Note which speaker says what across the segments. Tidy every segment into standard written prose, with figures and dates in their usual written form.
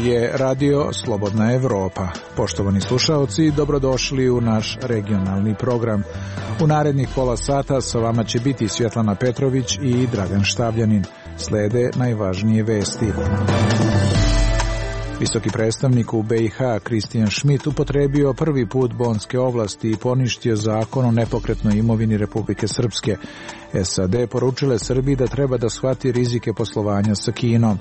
Speaker 1: je Radio Slobodna Evropa. Poštovani slušaoci, dobrodošli u naš regionalni program. U narednih pola sata sa vama će biti Svjetlana Petrović i Dragan Štavljanin. Slede najvažnije vesti. Visoki predstavnik u BiH Christian Schmidt upotrebio prvi put bonske ovlasti i poništio zakon o nepokretnoj imovini Republike Srpske. SAD poručile Srbiji da treba da shvati rizike poslovanja sa Kinom.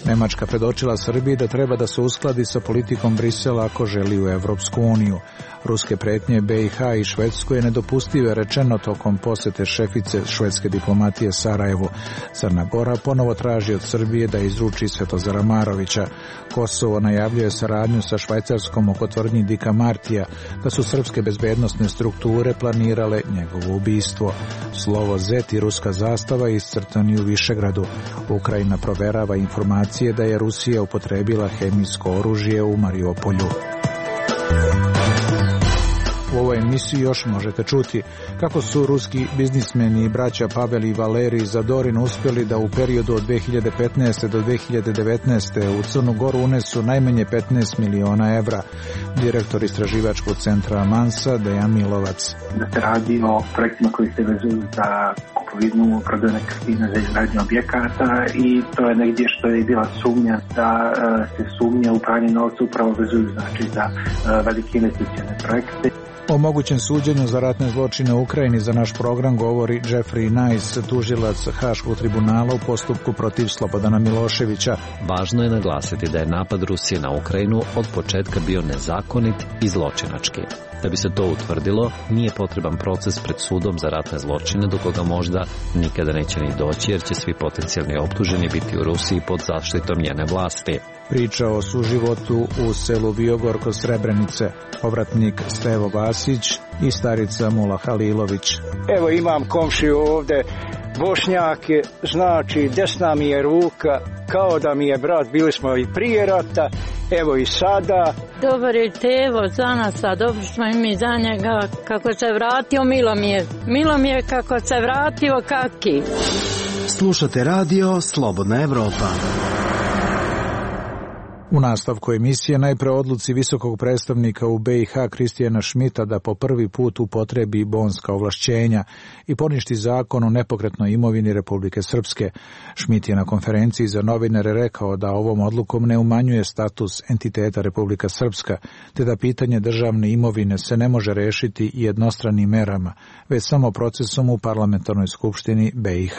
Speaker 1: Nemačka predočila Srbiji da treba da se uskladi sa politikom Brisela ako želi u Evropsku uniju. Ruske pretnje BiH i Švedskoj je nedopustive rečeno tokom posete šefice švedske diplomatije Sarajevu. Crna Gora ponovo traži od Srbije da izruči Svetozara Marovića. Kosovo najavljuje saradnju sa Švajcarskom oko tvrdnji Dika Martija da su srpske bezbednosne strukture planirale njegovo ubistvo. Slovo Z i ruska zastava iscrtani u Višegradu. Ukrajina proverava informacije da je Rusija upotrebila hemijsko oružje u Mariupolju. U ovoj emisiji još možete čuti kako su ruski biznismeni i braća Pavel i Valerij Zadorin uspjeli da u periodu od 2015. do 2019. u Crnu Goru unesu najmanje 15 miliona evra. Direktor istraživačkog centra Mansa Dejan Milovac.
Speaker 2: Da se radi o projektima koji se vezuju za kupovinu, prodaju nekretnina za izgradnju objekata i to je negdje što je bila sumnja da se sumnje u pranje novca upravo vezuju za velike investicione projekte.
Speaker 1: O mogućem suđenju za ratne zločine u Ukrajini za naš program govori Jeffrey Nice, tužilac Haškog tribunala u postupku protiv Slobodana Miloševića.
Speaker 3: Važno je naglasiti da je napad Rusije na Ukrajinu od početka bio nezakonit i zločinački. Da bi se to utvrdilo, nije potreban proces pred sudom za ratne zločine do koga možda nikada neće ni doći jer će svi potencijalni optuženi biti u Rusiji pod zaštitom njene vlasti.
Speaker 1: Priča o suživotu u selu Viogor kod Srebrenice, povratnik Stevo Vasić i starica Mula Halilović.
Speaker 4: Evo imam komšiju ovdje, Bošnjak, znači desna mi je ruka, kao da mi je brat, bili smo i prije rata, evo i sada.
Speaker 5: Dobar je Tevo za nas, a dobro smo i mi za njega, kako se vratio, milo mi je kako se vratio, kaki.
Speaker 6: Slušate radio Slobodna Evropa.
Speaker 1: U nastavku emisije najpre odluci visokog predstavnika u BiH Christiana Schmidta da po prvi put upotrebi bonska ovlašćenja i poništi zakon o nepokretnoj imovini Republike Srpske. Schmidt je na konferenciji za novinare rekao da ovom odlukom ne umanjuje status entiteta Republika Srpska, te da pitanje državne imovine se ne može rešiti jednostranim merama, već samo procesom u parlamentarnoj skupštini BiH,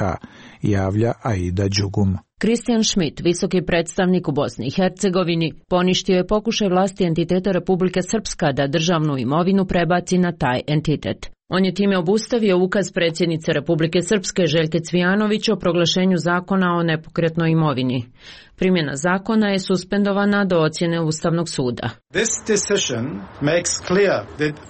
Speaker 1: javlja Aida Đugum.
Speaker 7: Christian Schmidt, visoki predstavnik u Bosni i Hercegovini, poništio je pokušaj vlasti entiteta Republike Srpska da državnu imovinu prebaci na taj entitet. On je time obustavio ukaz predsjednice Republike Srpske Željke Cvijanović o proglašenju zakona o nepokretnoj imovini. Primjena zakona je suspendovana do ocjene Ustavnog suda.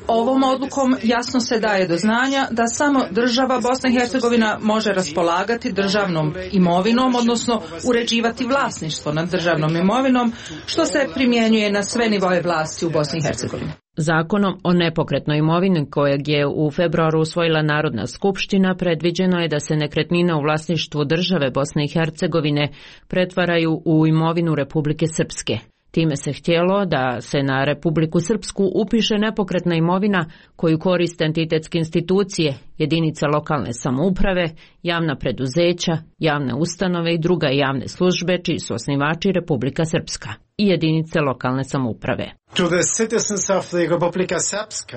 Speaker 8: Ovom odlukom jasno se daje do znanja da samo država Bosna i Hercegovina može raspolagati državnom imovinom, odnosno uređivati vlasništvo nad državnom imovinom, što se primjenjuje na sve nivoe vlasti u Bosni i Hercegovini.
Speaker 7: Zakonom o nepokretnoj imovini kojeg je u februaru usvojila Narodna skupština predviđeno je da se nekretnine u vlasništvu države Bosne i Hercegovine pretvaraju u imovinu Republike Srpske. Time se htjelo da se na Republiku Srpsku upiše nepokretna imovina koju koriste entitetske institucije, jedinice lokalne samouprave, javna preduzeća, javne ustanove i druga javne službe čiji su osnivači Republika Srpska i jedinice lokalne samouprave.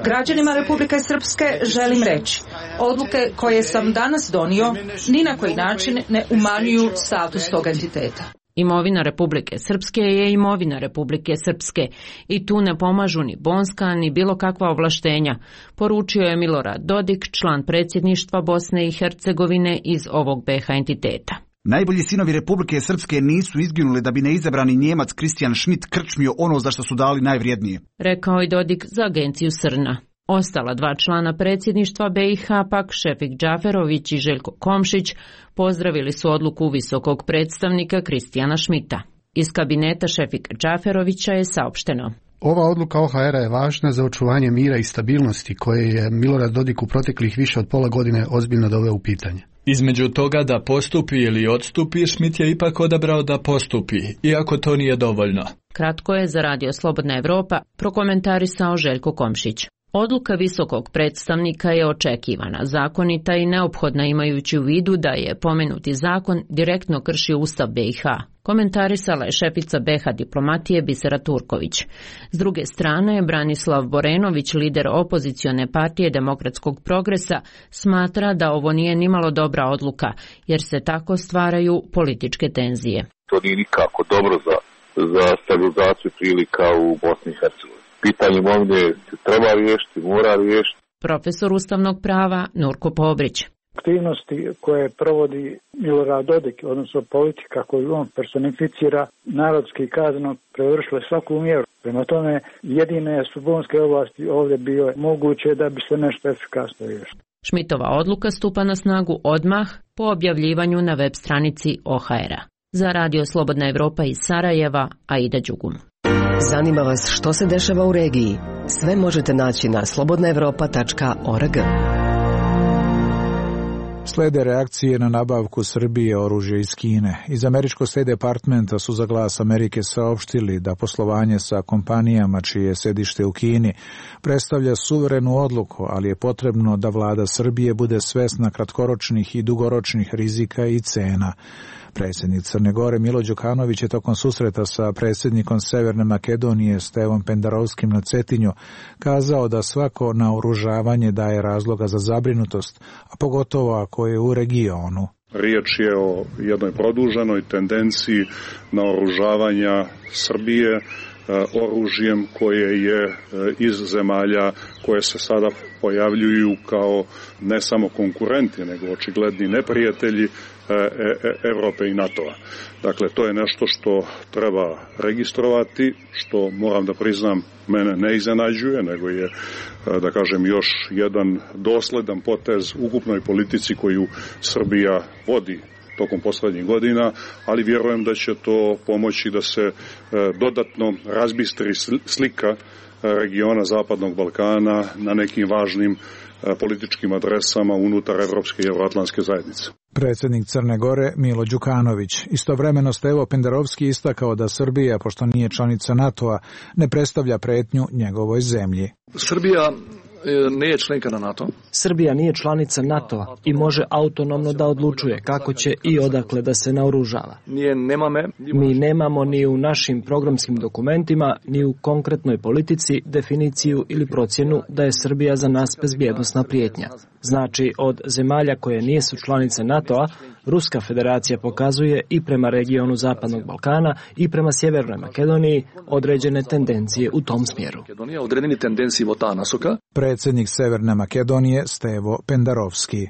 Speaker 8: Građanima Republike Srpske želim reći, odluke koje sam danas donio ni na koji način ne umanjuju status tog entiteta.
Speaker 7: Imovina Republike Srpske je imovina Republike Srpske i tu ne pomažu ni bonska ni bilo kakva ovlaštenja, poručio je Milorad Dodik, član predsjedništva Bosne i Hercegovine iz ovog BiH entiteta.
Speaker 9: Najbolji sinovi Republike Srpske nisu izginuli da bi neizabrani Njemac Christian Schmidt krčmio ono za što su dali najvrijednije,
Speaker 7: rekao je Dodik za agenciju Srna. Ostala dva člana predsjedništva BiH, pak Šefik Džaferović i Željko Komšić, pozdravili su odluku visokog predstavnika Christiana Schmidta. Iz kabineta Šefika Džaferovića je saopšteno:
Speaker 10: Ova odluka OHR-a je važna za očuvanje mira i stabilnosti koje je Milorad Dodik u proteklih više od pola godine ozbiljno doveo u pitanje.
Speaker 11: Između toga da postupi ili odstupi, Schmidt je ipak odabrao da postupi, iako to nije dovoljno.
Speaker 7: Kratko je za Radio Slobodna Evropa prokomentarisao Željko Komšić. Odluka visokog predstavnika je očekivana, zakonita i neophodna imajući u vidu da je pomenuti zakon direktno kršio Ustav BiH. Komentarisala je šefica BiH diplomatije Bisera Turković. S druge strane, Branislav Borenović, lider opozicione partije Demokratskog progresa, smatra da ovo nije nimalo dobra odluka, jer se tako stvaraju političke tenzije.
Speaker 12: To nije nikako dobro za stabilizaciju prilika u Bosni i Hercegovini. Pitanje imovine se treba riješiti, mora riješiti.
Speaker 7: Profesor ustavnog prava Nurko Pobrić.
Speaker 13: Aktivnosti koje provodi Milorad Dodik, odnosno politika koju on personificira, narodski kazano prevršile svaku mjeru. Prema tome, jedine su bonske oblasti ovdje bile moguće da bi se nešto efikasno riješilo.
Speaker 7: Schmidtova odluka stupa na snagu odmah po objavljivanju na web stranici OHR-a. Za Radio Slobodna Evropa iz Sarajeva, Aida Đugum.
Speaker 14: Zanima vas što se dešava u regiji? Sve možete naći na slobodnaevropa.org.
Speaker 1: Slede reakcije na nabavku Srbije oružja iz Kine. Iz američkog State Departmenta su za Glas Amerike saopštili da poslovanje sa kompanijama čije je sedište u Kini predstavlja suverenu odluku, ali je potrebno da vlada Srbije bude svesna kratkoročnih i dugoročnih rizika i cena. Predsjednik Crne Gore Milo Đukanović je tokom susreta sa predsjednikom Severne Makedonije Stevom Pendarovskim na Cetinju kazao da svako naoružavanje daje razloga za zabrinutost, a pogotovo ako je u regionu.
Speaker 15: Riječ je o jednoj produženoj tendenciji naoružavanja Srbije oružjem koje je iz zemalja koje se sada pojavljuju kao ne samo konkurenti, nego očigledni neprijatelji Evrope i NATO-a. Dakle, to je nešto što treba registrovati, što moram da priznam mene ne iznenađuje, nego je, da kažem, još jedan dosledan potez ukupnoj politici koju Srbija vodi tokom posljednjih godina, ali vjerujem da će to pomoći da se dodatno razbistri slika regiona Zapadnog Balkana na nekim važnim političkim adresama unutar Evropske i Euroatlantske zajednice.
Speaker 1: Predsjednik Crne Gore Milo Đukanović. Istovremeno Stevo Pendarovski istakao da Srbija, pošto nije članica NATO-a, ne predstavlja pretnju njegovoj zemlji.
Speaker 16: Srbija nije članka na NATO.
Speaker 17: Srbija nije članica NATO-a i može autonomno da odlučuje kako će i odakle da se naoružava. Mi nemamo ni u našim programskim dokumentima, ni u konkretnoj politici definiciju ili procjenu da je Srbija za nas bezbjednosna prijetnja. Znači, od zemalja koje nisu članice NATO-a, Ruska federacija pokazuje i prema regionu Zapadnog Balkana i prema Sjevernoj Makedoniji određene tendencije u tom smjeru.
Speaker 1: Predsjednik Severne Makedonije Stevo Pendarovski.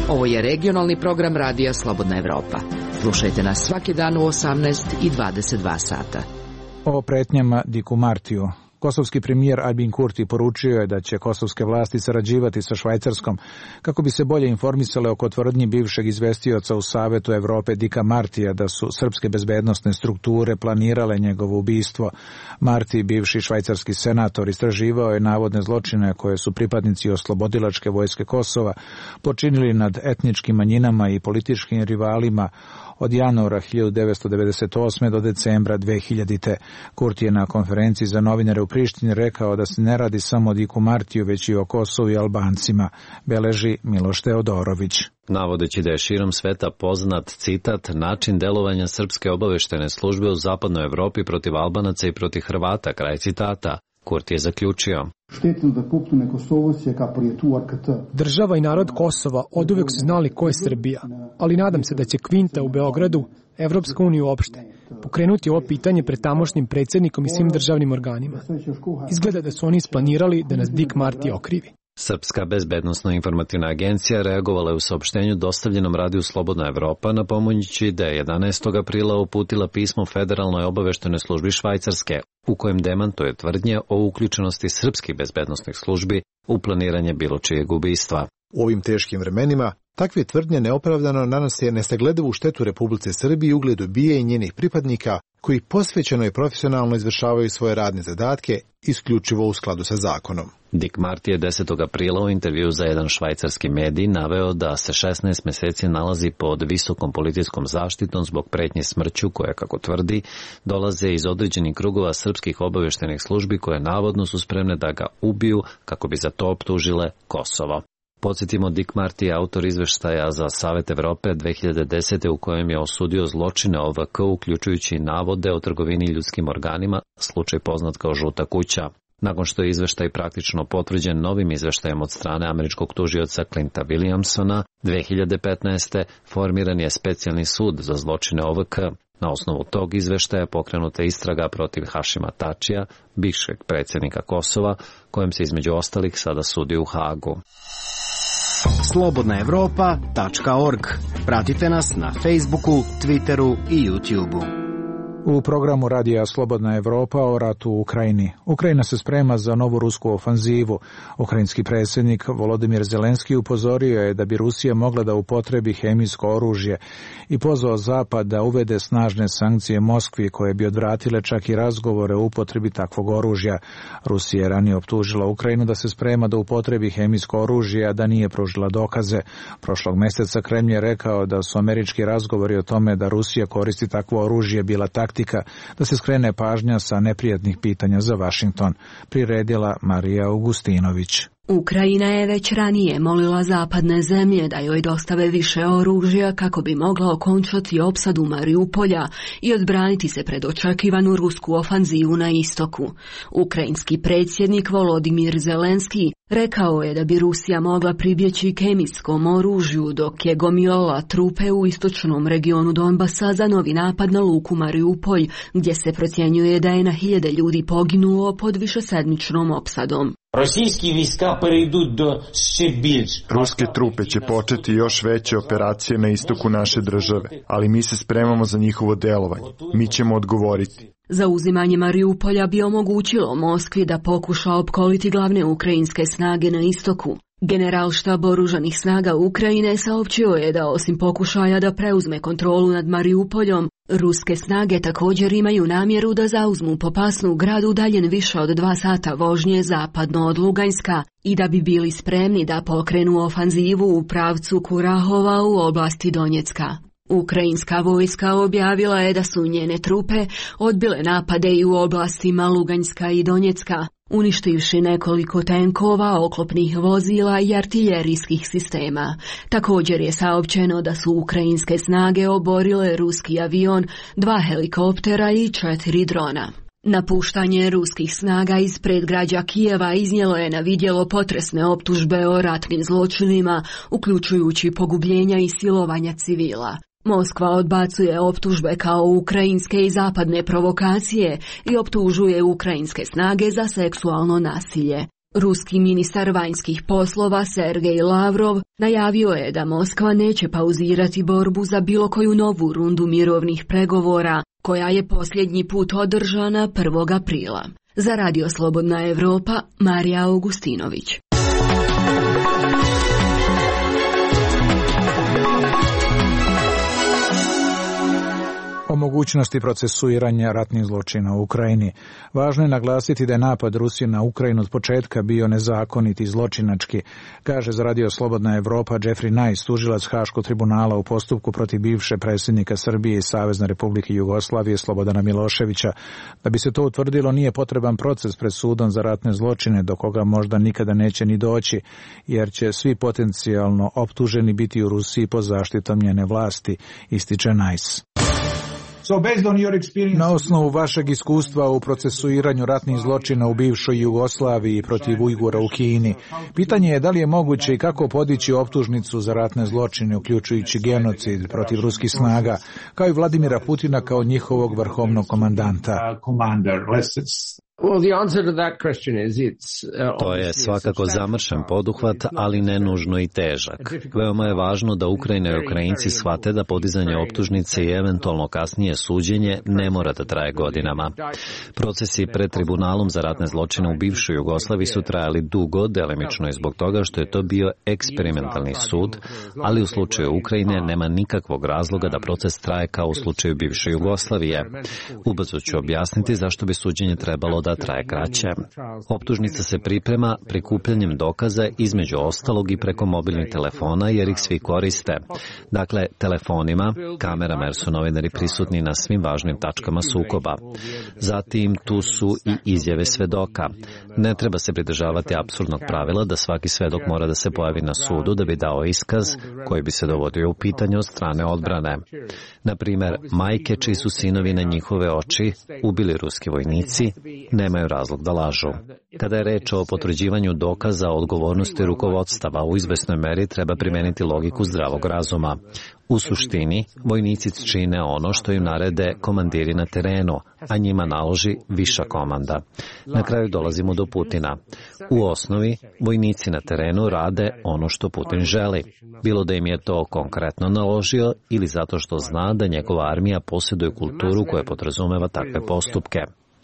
Speaker 18: Ovo je regionalni program Radija Slobodna Evropa. Slušajte nas svaki dan u 18 i 22 sata.
Speaker 1: O pretnjama Diku Martiju. Kosovski premijer Albin Kurti poručio je da će kosovske vlasti sarađivati sa Švajcarskom kako bi se bolje informisale oko tvrdnji bivšeg izvestioca u Savetu Evrope Dika Martija da su srpske bezbednosne strukture planirale njegovo ubistvo. Marti, bivši švajcarski senator, istraživao je navodne zločine koje su pripadnici oslobodilačke vojske Kosova počinili nad etničkim manjinama i političkim rivalima od januara 1998. do decembra 2000. Kurti je na konferenciji za novinare u Prištini rekao da se ne radi samo o Diku Martiju, već i o Kosovu i Albancima, beleži Miloš Teodorović.
Speaker 3: Navodeći da je širom sveta poznat, citat, način delovanja srpske obaveštene službe u zapadnoj Evropi protiv Albanaca i protiv Hrvata, kraj citata, Kurti je zaključio.
Speaker 19: Država i narod Kosova oduvek su znali ko je Srbija, ali nadam se da će Kvinta u Beogradu, Evropska unija uopšte, pokrenuti ovo pitanje pred tamošnjim predsjednikom i svim državnim organima. Izgleda da su oni isplanirali da nas Dik Marti okrivi.
Speaker 3: Srpska bezbednosno-informativna agencija reagovala je u saopštenju dostavljenom Radiju Slobodna Evropa napominjući da je 11. aprila uputila pismo Federalnoj obaveštenoj službi Švajcarske u kojem demantuje tvrdnje o uključenosti srpskih bezbednosnih službi u planiranje bilo čijeg ubistva.
Speaker 20: U ovim teškim vremenima takve tvrdnje neopravdano nanose nesagledivu štetu Republici Srbiji i ugledu BIA i njenih pripadnika koji posvećeno i profesionalno izvršavaju svoje radne zadatke isključivo u skladu sa zakonom.
Speaker 3: Dick Marty je 10. aprila u intervju za jedan švajcarski medij naveo da se 16 meseci nalazi pod visokom policijskom zaštitom zbog pretnje smrću koje, kako tvrdi, dolaze iz određenih krugova srpskih obaveštajnih službi koje navodno su spremne da ga ubiju kako bi za to optužile Kosovo. Podsjetimo, Dick Marty je autor izveštaja za Savet Evrope 2010. u kojem je osudio zločine OVK, uključujući navode o trgovini ljudskim organima, slučaj poznat kao Žuta kuća. Nakon što je izveštaj praktično potvrđen novim izveštajem od strane američkog tužioca Clinta Williamsona, 2015. formiran je specijalni sud za zločine OVK. Na osnovu tog izveštaja pokrenuta istraga protiv Hašima Tačija, bivšeg predsjednika Kosova, kojem se između ostalih sada sudi u Hagu.
Speaker 6: slobodnaevropa.org. Pratite nas na Facebooku, Twitteru i YouTubeu.
Speaker 1: U programu Radija Slobodna Evropa o ratu u Ukrajini. Ukrajina se sprema za novu rusku ofanzivu. Ukrajinski predsjednik Volodimir Zelenski upozorio je da bi Rusija mogla da upotrebi hemijsko oružje i pozvao Zapad da uvede snažne sankcije Moskvi koje bi odvratile čak i razgovore o upotrebi takvog oružja. Rusija je ranije optužila Ukrajinu da se sprema da upotrebi hemijsko oružje, a da nije pružila dokaze. Prošlog mjeseca Kremlj je rekao da su američki razgovori o tome da Rusija koristi takvo oružje bila taktika da se skrene pažnja sa neprijatnih pitanja za Vašington, priredila Marija Augustinović.
Speaker 21: Ukrajina je već ranije molila zapadne zemlje da joj dostave više oružja kako bi mogla okončati opsadu Mariupolja i odbraniti se pred očekivanu rusku ofanzivu na istoku. Ukrajinski predsjednik Volodimir Zelenski rekao je da bi Rusija mogla pribjeći kemijskom oružju dok je gomilala trupe u istočnom regionu Donbasa za novi napad na luku Mariupolj, gdje se procjenjuje da je na 1000 ljudi poginulo pod višesedmičnom opsadom.
Speaker 22: Ruske trupe će početi još veće operacije na istoku naše države, ali mi se spremamo za njihovo delovanje. Mi ćemo odgovoriti.
Speaker 21: Zauzimanje Mariupolja bi omogućilo Moskvi da pokuša opkoliti glavne ukrajinske snage na istoku. Generalštab oružanih snaga Ukrajine saopćio je da osim pokušaja da preuzme kontrolu nad Mariupoljom, ruske snage također imaju namjeru da zauzmu Popasnu, grad udaljen više od 2 sata vožnje zapadno od Luganska, i da bi bili spremni da pokrenu ofanzivu u pravcu Kurahova u oblasti Donjecka. Ukrajinska vojska objavila je da su njene trupe odbile napade i u oblastima Luganjska i Donjecka, uništivši nekoliko tenkova, oklopnih vozila i artiljerijskih sistema. Također je saopćeno da su ukrajinske snage oborile ruski avion, 2 helikoptera i 4 drona. Napuštanje ruskih snaga iz predgrađa Kijeva iznijelo je na vidjelo potresne optužbe o ratnim zločinima, uključujući pogubljenja i silovanja civila. Moskva odbacuje optužbe kao ukrajinske i zapadne provokacije i optužuje ukrajinske snage za seksualno nasilje. Ruski ministar vanjskih poslova Sergej Lavrov najavio je da Moskva neće pauzirati borbu za bilo koju novu rundu mirovnih pregovora, koja je posljednji put održana 1. aprila. Za Radio Slobodna Evropa, Marija Augustinović.
Speaker 1: O mogućnosti procesuiranja ratnih zločina u Ukrajini. Važno je naglasiti da je napad Rusije na Ukrajinu od početka bio nezakonit i zločinački, kaže za Radio Slobodna Evropa Jeffrey Nice, tužilac Haškog tribunala u postupku protiv bivše predsjednika Srbije i Savezne Republike Jugoslavije Slobodana Miloševića. Da bi se to utvrdilo, nije potreban proces pred sudom za ratne zločine, do koga možda nikada neće ni doći, jer će svi potencijalno optuženi biti u Rusiji pod zaštitom njene vlasti, ističe Nice. Na osnovu vašeg iskustva u procesuiranju ratnih zločina u bivšoj Jugoslaviji protiv Ujgura u Kini, pitanje je da li je moguće i kako podići optužnicu za ratne zločine, uključujući genocid protiv ruskih snaga, kao i Vladimira Putina kao njihovog vrhovnog komandanta.
Speaker 3: To je svakako zamršen poduhvat, ali ne nužno i težak. Veoma je važno da Ukrajina i Ukrajinci shvate da podizanje optužnice i eventualno kasnije suđenje ne mora da traje godinama. Procesi pred tribunalom za ratne zločine u bivšoj Jugoslaviji su trajali dugo, delimično i zbog toga što je to bio eksperimentalni sud, ali u slučaju Ukrajine nema nikakvog razloga da proces traje kao u slučaju bivše Jugoslavije. Ubrzo ću objasniti zašto bi suđenje trebalo da traje kraće. Optužnica se priprema prikupljanjem dokaza između ostalog i preko mobilnih telefona jer ih svi koriste. Dakle, telefonima, kamerama jer su novinari prisutni na svim važnim tačkama sukoba. Zatim tu su i izjave svedoka. Ne treba se pridržavati apsurdnog pravila da svaki svedok mora da se pojavi na sudu da bi dao iskaz koji bi se dovodio u pitanje od strane odbrane. Na primjer, majke čiji su sinovi na njihove oči ubili ruski vojnici nemaju razlog da lažu. Kada je reč o potvrđivanju dokaza o odgovornosti rukovodstava, u izvesnoj meri treba primeniti logiku zdravog razuma. U suštini, vojnici čine ono što im narede komandiri na terenu, a njima naloži viša komanda. Na kraju dolazimo do Putina. U osnovi, vojnici na terenu rade ono što Putin želi. Bilo da im je to konkretno naložio ili zato što zna da njegova armija posjeduje kulturu koja podrazumeva takve postupke.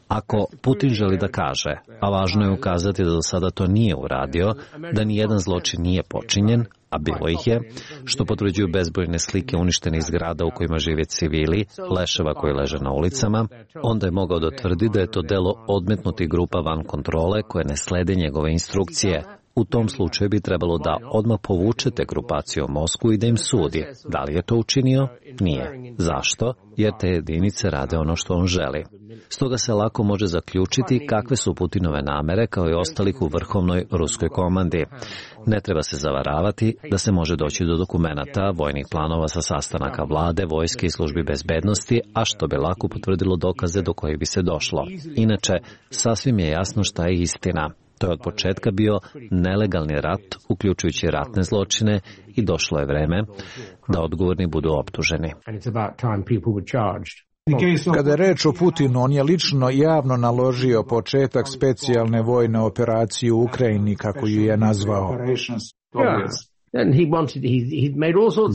Speaker 3: Ako Putin želi da kaže, a važno je ukazati da do sada to nije uradio, da nijedan zločin nije počinjen, a bilo ih je, što potvrđuju bezbrojne slike uništenih zgrada u kojima žive civili, leševa koji leže na ulicama, onda je mogao da tvrdi da je to delo odmetnutih grupa van kontrole koje ne slede njegove instrukcije. U tom slučaju bi trebalo da odmah povučete grupaciju u Moskvu i da im sudi. Da li je to učinio? Nije. Zašto? Jer te jedinice rade ono što on želi. Stoga se lako može zaključiti kakve su Putinove namere kao i ostalih u vrhovnoj ruskoj komandi. Ne treba se zavaravati da se može doći do dokumenata, vojnih planova sa sastanaka vlade, vojske i službi bezbednosti, a što bi lako potvrdilo dokaze do kojih bi se došlo. Inače, sasvim je jasno šta je istina. To je od početka bio nelegalni rat, uključujući ratne zločine, i došlo je vreme da odgovorni budu optuženi.
Speaker 1: Kada je reč o Putinu, on je lično javno naložio početak specijalne vojne operacije u Ukrajini, kako ju je nazvao.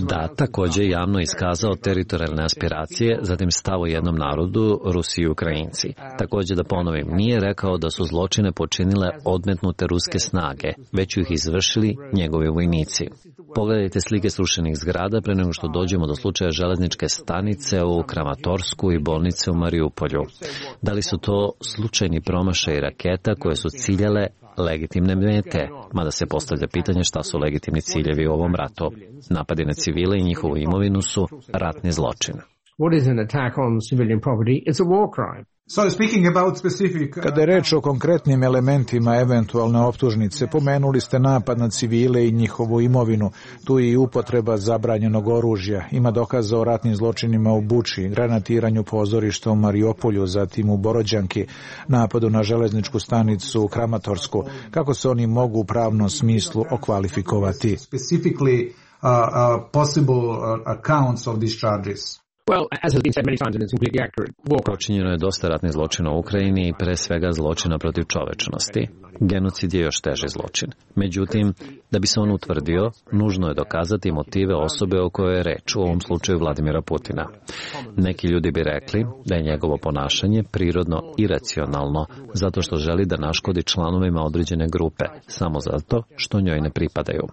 Speaker 3: Da, također javno iskazao teritorijalne aspiracije, zatim stav o jednom narodu, Rusi i Ukrajinci. Također da ponovim, nije rekao da su zločine počinile odmetnute ruske snage, već ih izvršili njegovi vojnici. Pogledajte slike srušenih zgrada pre nego što dođemo do slučaja železničke stanice u Kramatorsku i bolnice u Mariupolju. Da li su to slučajni promašaj raketa koje su ciljale legitimne mete, mada se postavlja pitanje šta su legitimni ciljevi u ovom ratu. Napadi na civile i njihovu imovinu su ratni zločin.
Speaker 1: Kada je reč o konkretnim elementima eventualne optužnice, pomenuli ste napad na civile i njihovu imovinu. Tu je i upotreba zabranjenog oružja. Ima dokaza o ratnim zločinima u Buči, granatiranju pozorišta u Mariupolju, zatim u Borođanki, napadu na železničku stanicu u Kramatorsku. Kako se oni mogu u pravnom smislu okvalifikovati?
Speaker 3: Počinjeno je dosta ratnih zločina u Ukrajini i pre svega zločina protiv čovečnosti. Genocid je još teži zločin. Međutim, da bi se on utvrdio, nužno je dokazati motive osobe o kojoj je reč, u ovom slučaju Vladimira Putina. Neki ljudi bi rekli da je njegovo ponašanje prirodno iracionalno, zato što želi da naškodi članovima određene grupe, samo zato što njoj ne pripadaju.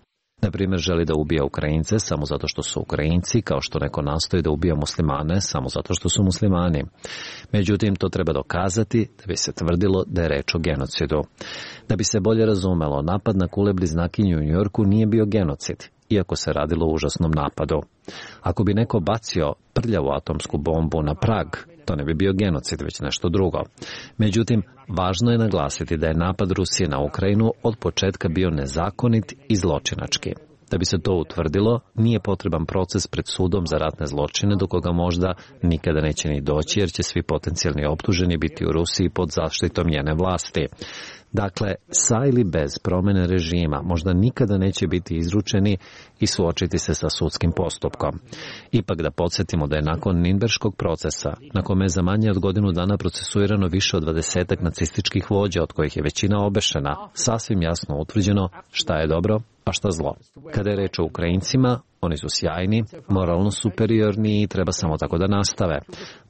Speaker 3: Na primjer, želi da ubija Ukrajince samo zato što su Ukrajinci, kao što neko nastoji da ubija muslimane samo zato što su muslimani. Međutim, to treba dokazati da bi se tvrdilo da je reč o genocidu. Da bi se bolje razumelo, napad na kule bliznakinju u Njujorku nije bio genocid, iako se radilo o užasnom napadu. Ako bi neko bacio prljavu atomsku bombu na Prag, to ne bi bio genocid, već nešto drugo. Međutim, važno je naglasiti da je napad Rusije na Ukrajinu od početka bio nezakonit i zločinački. Da bi se to utvrdilo, nije potreban proces pred sudom za ratne zločine do koga možda nikada neće ni doći jer će svi potencijalni optuženi biti u Rusiji pod zaštitom njene vlasti. Dakle, sa ili bez promjene režima možda nikada neće biti izručeni i suočiti se sa sudskim postupkom. Ipak da podsjetimo da je nakon Nirnberškog procesa, na kome je za manje od godinu dana procesuirano više od 20 nacističkih vođa, od kojih je većina obešena, sasvim jasno utvrđeno šta je dobro, a šta zlo. Kada je reč o Ukrajincima, oni su sjajni, moralno superiorni i treba samo tako da nastave.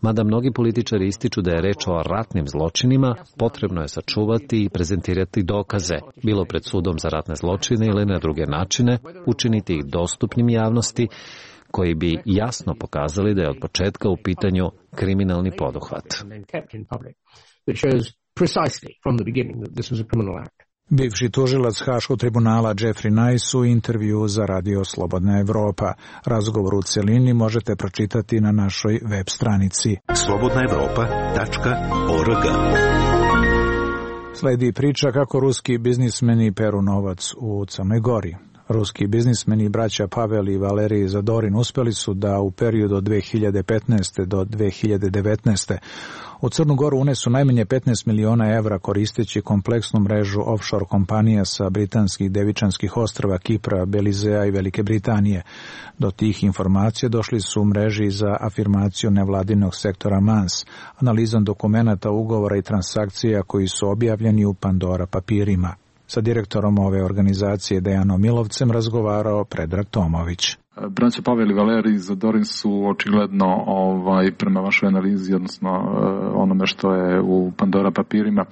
Speaker 3: Mada mnogi političari ističu da je reč o ratnim zločinima, potrebno je sačuvati i prezentirati dokaze, bilo pred sudom za ratne zločine ili na druge načine, učiniti ih dostupnim javnosti, koji bi jasno pokazali da je od početka u pitanju kriminalni poduhvat.
Speaker 1: Bivši tužilac Haškog tribunala Jeffrey Nice u intervju za Radio Slobodna Evropa. Razgovor u celini možete pročitati na našoj web stranici slobodnaevropa.org. Sledi priča kako ruski biznismeni peru novac u Crnoj Gori. Ruski biznismeni braća Pavel i Valerij Zadorin uspeli su da u periodu od 2015. do 2019. u Crnu Goru unesu najmanje 15 miliona evra koristeći kompleksnu mrežu offshore kompanija sa britanskih Devičanskih ostrva, Kipra, Belizea i Velike Britanije. Do tih informacija došli su u mreži za afirmaciju nevladinog sektora MANS, analizom dokumenata, ugovora i transakcija koji su objavljeni u Pandora papirima. Sa direktorom ove organizacije Dejanom Milovcem razgovarao Predrag Tomović.
Speaker 16: Braća Pavel i Valerij Zadorin su očigledno prema vašoj analizi, odnosno onome što je u Pandora papirima,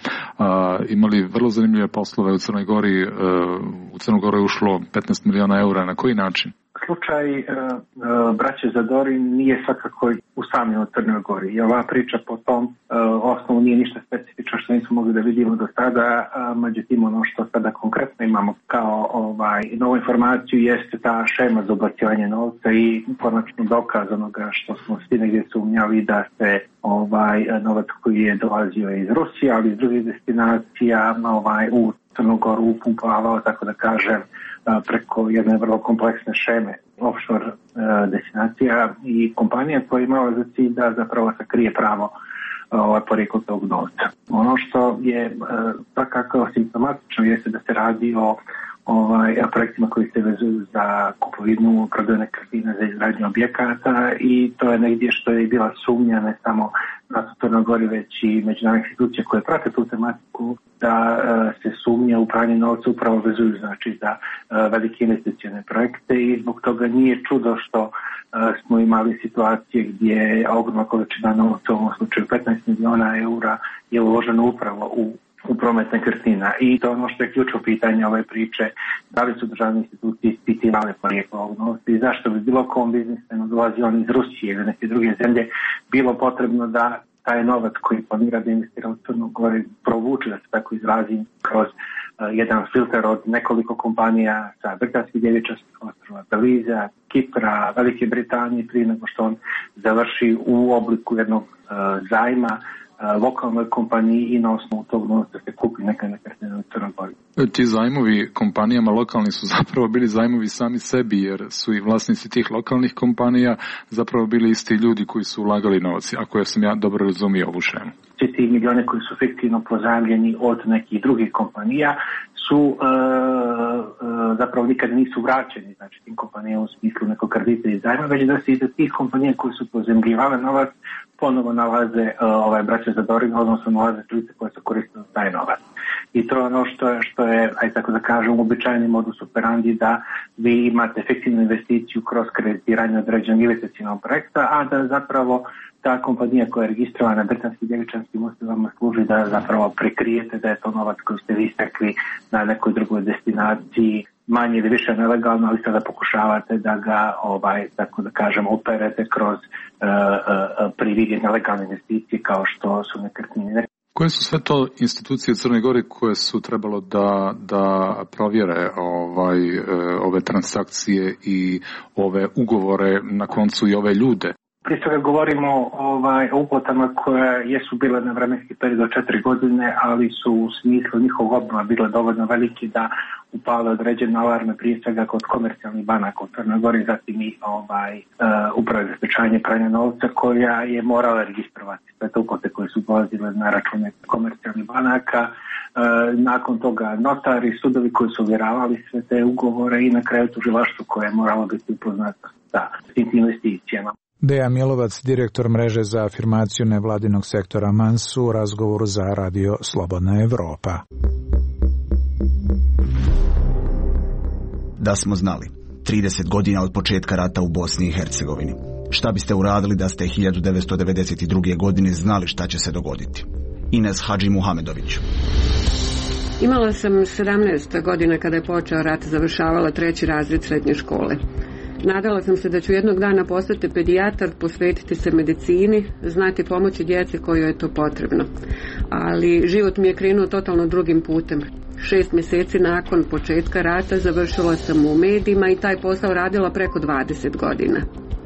Speaker 16: imali vrlo zanimljive poslove u Crnoj Gori. U Crnu Goru je ušlo 15 miliona eura. Na koji način?
Speaker 2: Slučaj braće Zadorin nije svakako usamljen u Crnoj Gori. I ova priča po tom osnovu nije ništa specifično što nismo mogli da vidimo do sada. Međutim, ono što sada konkretno imamo kao novu informaciju jeste ta šema za ubacivanje novca i konačno dokaz onoga što smo svi negdje sumnjali da se novac koji je dolazio iz Rusije, ali iz drugih destinacija u Crnu Goru upumpavao, tako da kažem, preko jedne vrlo kompleksne šeme offshore destinacija i kompanija koja je imala za cilj da zapravo sakrije pravo porijeklo tog novca. Ono što je svakako simptomatično jeste da se radi o projektima koji se vezuju za kupovinu, prodaju nekretnina, za izgradnju objekata i to je negdje što je bila sumnja ne samo na Crnoj Gori, već i međunarodne institucije koje prate tu tematiku, da se sumnja u pranje novca upravo vezuju znači za velike investicione projekte i zbog toga nije čudo što smo imali situacije gdje ogromna količina novca, u ovom slučaju 15 miliona eura, je uloženo upravo u promet nekretnina. I to je ono što je ključno pitanje ove priče, da li su državne institucije ispitivale porijeklo ovog novca i zašto bi bilo kom biznismenu dolazi on iz Rusije ili neke druge zemlje bilo potrebno da taj novac koji planira da investira u Crnu Goru provuče, da se tako izrazim, kroz jedan filter od nekoliko kompanija sa britanskih Devičanskih ostrva, Beliza, Kipra, Velike Britanije, prije nego što on završi u obliku jednog zajma lokalnoj kompaniji i na osnovu tog novca se kupi neka nekretnina u Crnoj Gori.
Speaker 16: Ti zajmovi kompanijama lokalni su zapravo bili zajmovi sami sebi, jer su i vlasnici tih lokalnih kompanija zapravo bili isti ljudi koji su ulagali novac, ako sam ja dobro razumio ovu šemu.
Speaker 2: Svi ti milione koji su fiktivno pozajmljeni od nekih drugih kompanija su zapravo nikada nisu vraćeni, znači tim kompanijama u smislu nekog kredita i zajma, već da se i da tih kompanija koji su pozajmljivale novac ponovo nalaze braća Zadorin, odnosno nalaze lice koje su koristile taj novac. I to je ono što je, ajde tako da kažem, uobičajeni modus operandi, da vi imate efektivnu investiciju kroz kreditiranje određenog investicionog projekta, a da zapravo ta kompanija koja je registrovana na britanskim Devičanskim ostrvama služi da zapravo prekrijete da je to novac koji ste vi stekli na nekoj drugoj destinaciji, manje ili više nelegalno, ali sada pokušavate da ga, tako da kažem, operete kroz prividje nelegalne investicije kao što su nekretnine.
Speaker 16: Koje su sve to institucije u Crnoj Gori koje su trebalo da provjere ove transakcije i ove ugovore, na koncu i ove ljude?
Speaker 2: Prije svega govorimo o uplatama koje jesu bile na vremenski period od 4 godine, ali su u smislu njihovog obnova bile dovoljno veliki da upale određene alarme, prije svega kod komercijalnih banaka u Crnoj Gori, zatim i uprave za sprečavanje pranja novca koja je morala registrovati sve te uplate koje su dolazile na račune komercijalnih banaka. Nakon toga notari, sudovi koji su ovjeravali sve te ugovore i na kraju tužilaštvo koje je moralo biti upoznato sa tim investicijama.
Speaker 1: Deja Milovac, direktor mreže za afirmaciju nevladinog sektora MANS u razgovoru za Radio Slobodna Evropa.
Speaker 9: Da smo znali, 30 godina od početka rata u Bosni i Hercegovini. Šta biste uradili da ste 1992. godine znali šta će se dogoditi? Ines Hadži Muhamedović.
Speaker 4: Imala sam 17 godina kada je počeo rat, završavala 3. razred srednje škole. Nadala sam se da ću jednog dana postati pedijatar, posvetiti se medicini, znati pomoći djeci kojoj je to potrebno. Ali život mi je krenuo totalno drugim putem. 6 mjeseci nakon početka rata završila sam u medijima i taj posao radila preko 20 godina.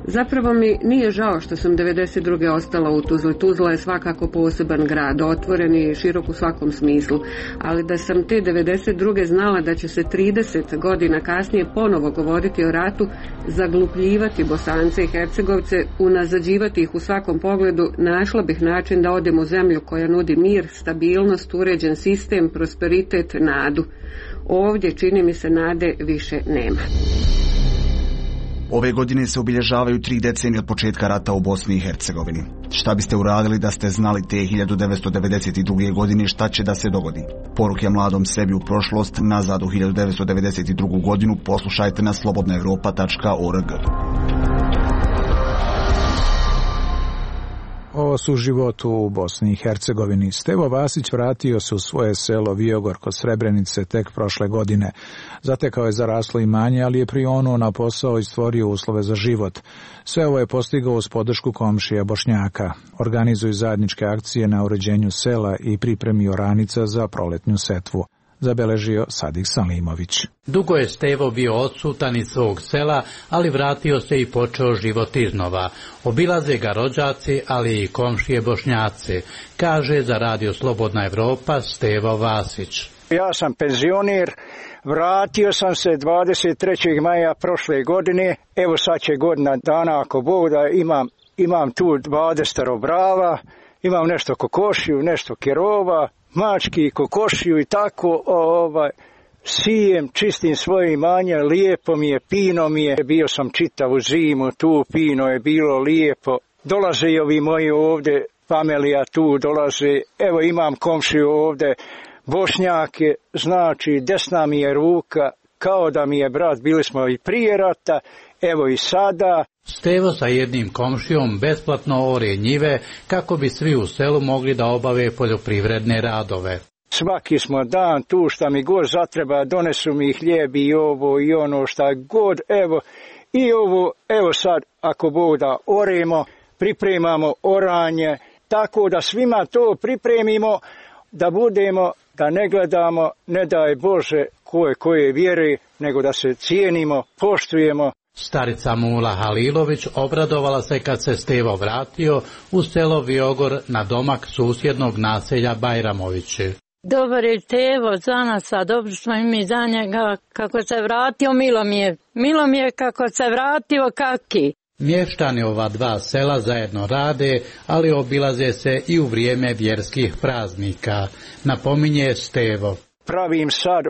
Speaker 4: Zapravo mi nije žao što sam 92. ostala u Tuzli. Tuzla je svakako poseban grad, otvoren i širok u svakom smislu, ali da sam te 92. znala da će se 30 godina kasnije ponovo govoriti o ratu, zaglupljivati Bosance i Hercegovce, unazađivati ih u svakom pogledu, našla bih način da odem u zemlju koja nudi mir, stabilnost, uređen sistem, prosperitet, nadu. Ovdje, čini mi se, nade više nema.
Speaker 9: Ove godine se obilježavaju 3 decenije od početka rata u Bosni i Hercegovini. Šta biste uradili da ste znali te 1992. godine šta će da se dogodi? Poruke mladom sebi u prošlost, nazad u 1992. godinu, poslušajte na slobodnaevropa.org.
Speaker 1: O suživotu u Bosni i Hercegovini. Stevo Vasić vratio se u svoje selo Viogor kod Srebrenice tek prošle godine. Zatekao je zaraslo imanje, ali je prionuo na posao i stvorio uslove za život. Sve ovo je postigao uz podršku komšija Bošnjaka. Organizuju zajedničke akcije na uređenju sela i pripremi oranica za proletnju setvu. Zabeležio Sadik Salimović.
Speaker 5: Dugo je Stevo bio odsutan iz svog sela, ali vratio se i počeo život iznova. Obilaze ga rođaci, ali i komšije Bošnjaci, kaže za Radio Slobodna Evropa Stevo Vasić.
Speaker 13: Ja sam penzioner, vratio sam se 23. maja prošle godine, evo sad će godina dana ako Bog da imam tu 20 brava, imam nešto kokošiju, nešto kerova, mački, kokošiju i tako, sijem, čistim svoje imanje, lijepo mi je, pino mi je, bio sam čitavu zimu, tu pino je bilo lijepo, dolaze i ovi moji ovdje, familija tu dolaze, evo imam komšiju ovdje, Bošnjake, znači desna mi je ruka, kao da mi je brat, bili smo i prije rata, evo i sada.
Speaker 5: Stevo sa jednim komšijom besplatno ore njive kako bi svi u selu mogli da obave poljoprivredne radove.
Speaker 13: Svaki smo dan tu šta mi god zatreba, donesu mi hljeb i ovo i ono šta god, evo i ovo, evo sad ako Bog da oremo, pripremamo oranje, tako da svima to pripremimo, da budemo, da ne gledamo, ne daj Bože koje vjere, nego da se cijenimo, poštujemo.
Speaker 5: Starica Mula Halilović obradovala se kad se Stevo vratio u selo Viogor na domak susjednog naselja Bajramovići.
Speaker 23: Dobar je Stevo za nas, a dobro smo i mi za njega. Kako se vratio, milo mi je kako se vratio, kaki.
Speaker 5: Mještani ova dva sela zajedno rade, ali obilaze se i u vrijeme vjerskih praznika, napominje Stevo.
Speaker 13: Pravim sad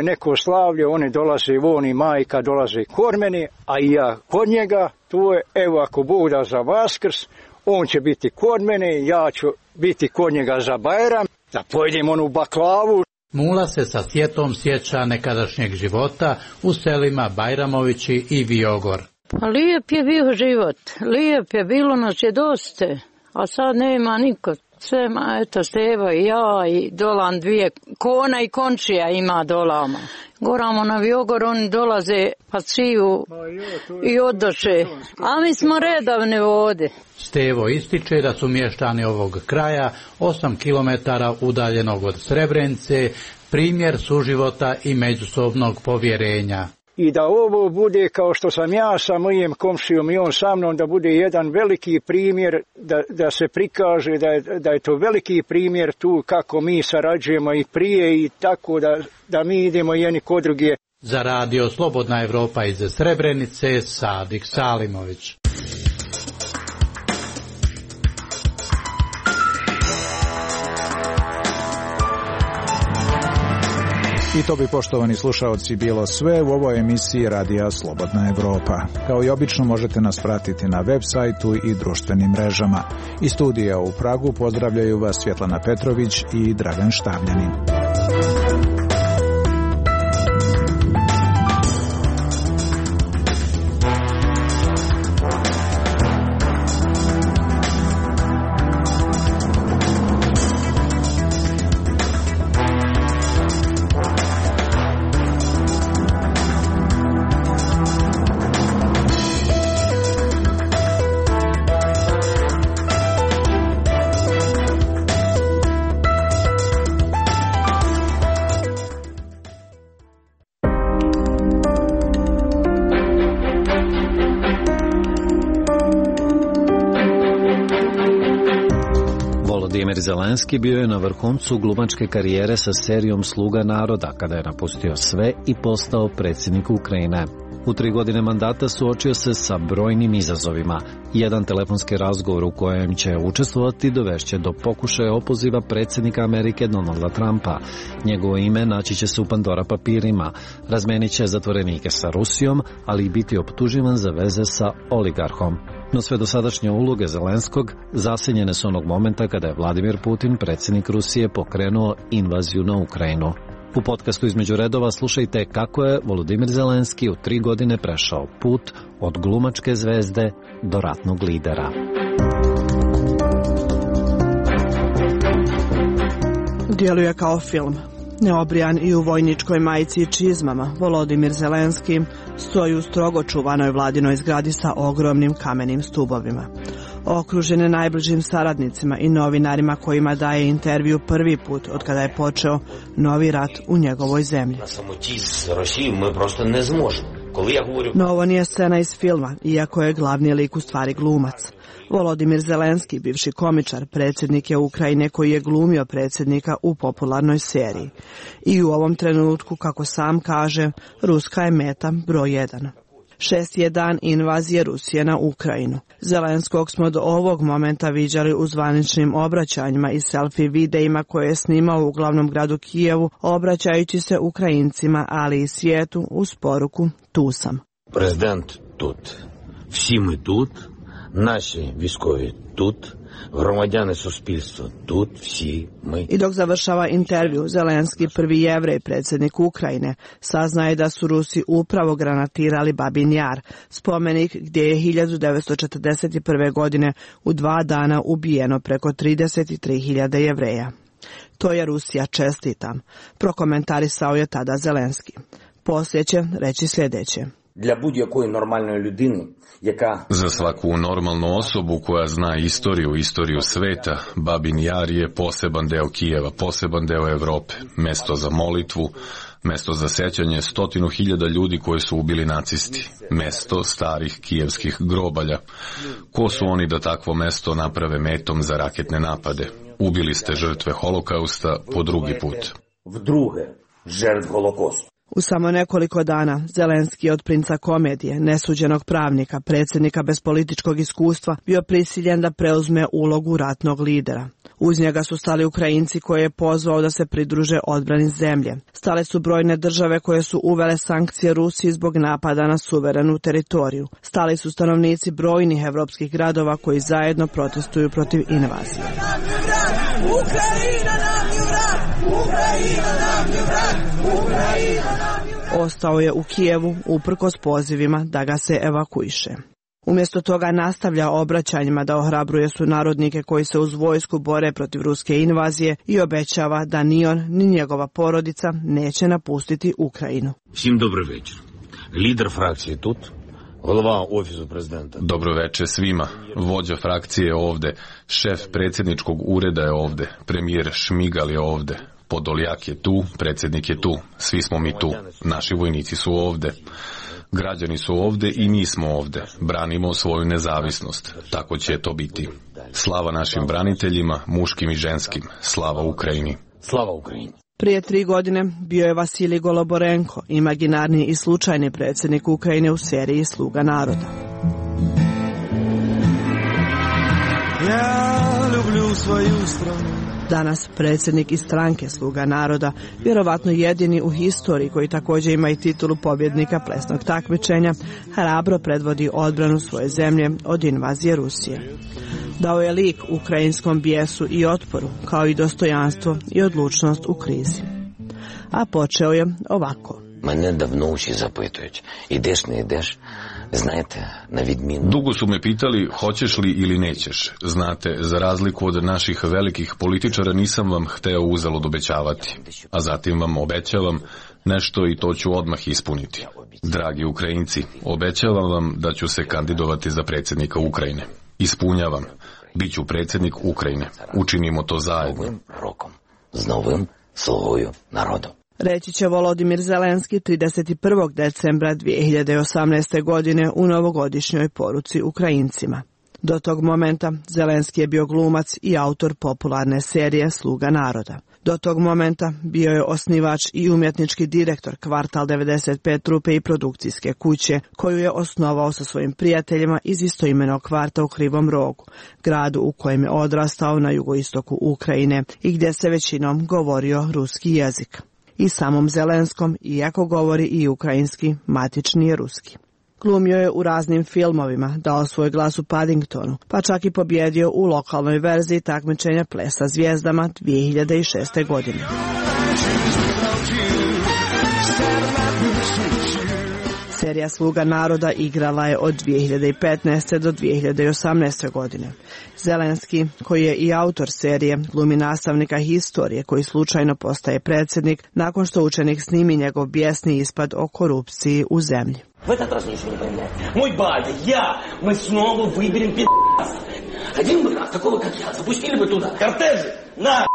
Speaker 13: neko slavlje, oni dolaze, on i majka dolaze kod mene, a i ja kod njega, tu je, evo ako Bog da za Vaskrs, on će biti kod mene, ja ću biti kod njega za Bajram, da pojedem onu baklavu.
Speaker 5: Mula se sa sjetom sjeća nekadašnjeg života u selima Bajramovići i Viogor.
Speaker 23: Pa lijep je bio život, lijep je, bilo nas je dosta, a sad nema niko. Sve, eto, Stevo i ja i dolan 2 kona i končija ima dolama. Goramo na Viogor, oni dolaze pa siju i odoše, a mi smo redavne vode.
Speaker 5: Stevo ističe da su mještani ovog kraja 8 kilometara udaljenog od Srebrenice primjer suživota i međusobnog povjerenja.
Speaker 13: i da ovo bude kao što sam ja sa mojim komšijom i on sa mnom, da bude jedan veliki primjer, da se prikaže da je to veliki primjer tu kako mi sarađujemo i prije i tako da mi idemo jedni kod druge.
Speaker 5: Za radio Slobodna Evropa iz Srebrenice, Sadik Salimović.
Speaker 1: I to bi, poštovani slušaoci, bilo sve u ovoj emisiji Radija Slobodna Evropa. Kao i obično možete nas pratiti na web sajtu i društvenim mrežama. Iz studija u Pragu pozdravljaju vas Svjetlana Petrović i Dragan Štavljanin.
Speaker 3: Volodimir Zelenski bio je na vrhuncu glumačke karijere sa serijom Sluga naroda, kada je napustio sve i postao predsjednik Ukrajine. U 3 godine mandata suočio se sa brojnim izazovima. Jedan telefonski razgovor u kojem će učestvovati dovešće do pokušaja opoziva predsjednika Amerike Donalda Trumpa. Njegovo ime naći će se u Pandora papirima. Razmenit će zatvorenike sa Rusijom, ali i biti optuživan za veze sa oligarhom. No sve dosadašnje uloge Zelenskog zasenjene su onog momenta kada je Vladimir Putin, predsjednik Rusije, pokrenuo invaziju na Ukrajinu. U podcastu Između redova slušajte kako je Volodimir Zelenski u 3 godine prešao put od glumačke zvezde do ratnog lidera.
Speaker 8: Djeluje kao film. Neobrijan i u vojničkoj majici i čizmama, Volodimir Zelenski stoji u strogo čuvanoj vladinoj zgradi sa ogromnim kamenim stubovima. Okružen je najbližim saradnicima i novinarima kojima daje intervju prvi put od kada je počeo novi rat u njegovoj zemlji. No ovo nije scena iz filma, iako je glavni lik u stvari glumac. Volodimir Zelenski, bivši komičar, predsjednik je Ukrajine koji je glumio predsjednika u popularnoj seriji. I u ovom trenutku, kako sam kaže, Ruska je meta broj 1. 6. je dan invazije Rusije na Ukrajinu. Zelenskog smo do ovog momenta viđali u zvaničnim obraćanjima i selfie videima koje je snimao u glavnom gradu Kijevu, obraćajući se Ukrajincima, ali i svijetu uz poruku "Tu sam".
Speaker 10: Prezident тут, всі ми тут, наші військові тут, громадяни суспільства тут, всі ми.
Speaker 8: I dok završava intervju, Zelenski, prvi Jevrej, predsjednik Ukrajine, saznaje da su Rusi upravo granatirali Babin Jar, spomenik gdje je 1941. godine u 2 dana ubijeno preko 33.000 Jevreja. To je Rusija, čestitam, prokomentarisao je tada Zelenski. Poslije će reći sljedeće.
Speaker 10: Для будь-якої нормальної людини, яка...
Speaker 11: Za svaku normalnu osobu koja zna istoriju sveta, Babin Jar je poseban deo Kijeva, poseban deo Evrope, mesto za molitvu, mesto za sećanje 100.000 ljudi koji su ubili nacisti, mesto starih kijevskih grobalja. Ko su oni da takvo mesto naprave metom za raketne napade? Ubili ste žrtve holokausta po drugi put.
Speaker 10: Vdruge, žrtv holokausta.
Speaker 8: U samo nekoliko dana Zelenski je od princa komedije, nesuđenog pravnika, predsjednika bez političkog iskustva, bio prisiljen da preuzme ulogu ratnog lidera. Uz njega su stali Ukrajinci koje je pozvao da se pridruže odbrani zemlje. Stale su brojne države koje su uvele sankcije Rusiji zbog napada na suverenu teritoriju. Stali su stanovnici brojnih evropskih gradova koji zajedno protestuju protiv invazije. Ukrajina nam je vrat! Ukrajina nam je vrat! Ukrajina nam je vrat! Ostao je u Kijevu uprkos pozivima da ga se evakuiše. Umjesto toga nastavlja obraćanjima da ohrabruje sunarodnike koji se uz vojsku bore protiv ruske invazije i obećava da ni on ni njegova porodica neće napustiti Ukrajinu.
Speaker 10: Svim dobar večer. Lider frakcije tut, glava ofisu prezidenta.
Speaker 11: Dobro večer svima. Vođa frakcije je ovde, šef predsjedničkog ureda je ovde, premijer Šmigal je ovde, Podoljak je tu, predsjednik je tu, svi smo mi tu, naši vojnici su ovde. Građani su ovde i mi smo ovde. Branimo svoju nezavisnost. Tako će to biti. Slava našim braniteljima, muškim i ženskim. Slava Ukrajini.
Speaker 10: Slava Ukrajini.
Speaker 8: Prije 3 godine bio je Vasilij Goloborenko, imaginarni i slučajni predsjednik Ukrajine u seriji Sluga naroda.
Speaker 7: Ja ljublju svoju stranu.
Speaker 8: Danas predsjednik iz stranke Sluga naroda, vjerovatno jedini u historiji koji također ima i titulu pobjednika plesnog takmičenja, hrabro predvodi odbranu svoje zemlje od invazije Rusije. Dao je lik ukrajinskom bijesu i otporu, kao i dostojanstvo i odlučnost u krizi. A počeo je ovako.
Speaker 10: Mene davno uši zapitujući, ideš ne ideš, znajte, na vidminu.
Speaker 11: Dugo su me pitali hoćeš li ili nećeš. Znate, za razliku od naših velikih političara nisam vam hteo uzalud obećavati. A zatim vam obećavam nešto i to ću odmah ispuniti. Dragi Ukrajinci, obećavam vam da ću se kandidovati za predsjednika Ukrajine. Ispunjavam. Biću predsjednik Ukrajine. Učinimo to zajedno.
Speaker 10: Novim rokom, s novim slugою narodu.
Speaker 8: Reći će Volodimir Zelenski 31. decembra 2018. godine u novogodišnjoj poruci Ukrajincima. Do tog momenta Zelenski je bio glumac i autor popularne serije Sluga naroda. Do tog momenta bio je osnivač i umjetnički direktor Kvartal 95 trupe i produkcijske kuće, koju je osnovao sa svojim prijateljima iz istoimenog kvarta u Krivom Rogu, gradu u kojem je odrastao na jugoistoku Ukrajine i gdje se većinom govorio ruski jezik. I samom Zelenskom, iako govori i ukrajinski, matični je ruski. Glumio je u raznim filmovima, dao svoj glas u Paddingtonu, pa čak i pobjedio u lokalnoj verziji takmičenja Plesa zvijezdama 2006. godine. Serija Sluga naroda igrala je od 2015. do 2018. godine. Zelenski, koji je i autor serije, glumi nastavnika historije koji slučajno postaje predsjednik nakon što učenik snimi njegov bijesni ispad o korupciji u zemlji.
Speaker 12: В этот раз ничего не поменяется. Мой батя, я, мы снова выберем пи***аса. Один бы раз, такого как я, запустили бы туда кортежи, на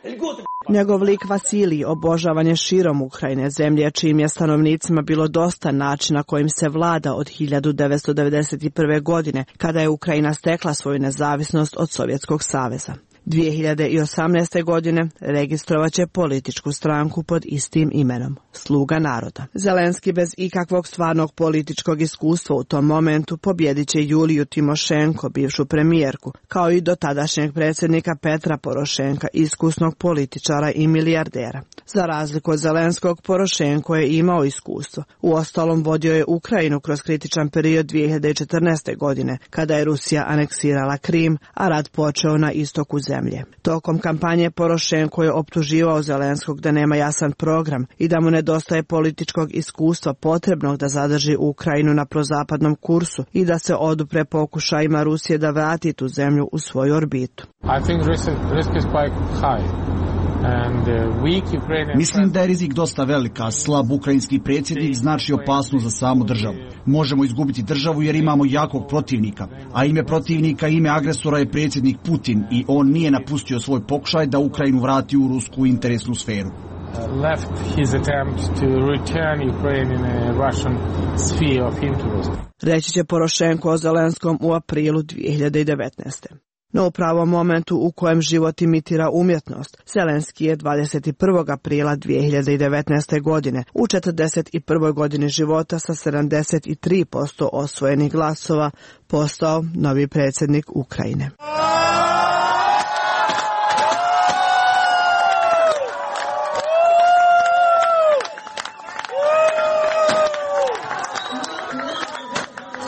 Speaker 12: льготы.
Speaker 8: Njegov lik Vasilij obožavan je širom Ukrajine, zemlje čijim je stanovnicima bilo dosta načina kojim se vlada od 1991. godine, kada je Ukrajina stekla svoju nezavisnost od Sovjetskog saveza. 2018. godine registrovat će političku stranku pod istim imenom, Sluga naroda. Zelenski bez ikakvog stvarnog političkog iskustva u tom momentu pobjedit će Juliju Timošenko, bivšu premijerku, kao i dotadašnjeg predsjednika Petra Porošenka, iskusnog političara i milijardera. Za razliku od Zelenskog, Porošenko je imao iskustvo. Uostalom vodio je Ukrajinu kroz kritičan period 2014. godine, kada je Rusija aneksirala Krim, a rat počeo na istoku zemlje. Tokom kampanje Porošenko je optuživao Zelenskog da nema jasan program i da mu nedostaje političkog iskustva potrebnog da zadrži Ukrajinu na prozapadnom kursu i da se odupre pokušajima Rusije da vrati tu zemlju u svoju orbitu.
Speaker 9: Mislim da je rizik dosta velika, slab ukrajinski predsjednik znači opasnost za samu državu. Možemo izgubiti državu jer imamo jakog protivnika, a ime protivnika, ime agresora je predsjednik Putin i on nije napustio svoj pokušaj da Ukrajinu vrati u rusku interesnu sferu.
Speaker 8: Reći će Porošenko o Zelenskom u aprilu 2019. No u pravom momentu u kojem život imitira umjetnost, Zelenski je 21. aprila 2019. godine u 41. godini života sa 73% osvojenih glasova postao novi predsjednik Ukrajine.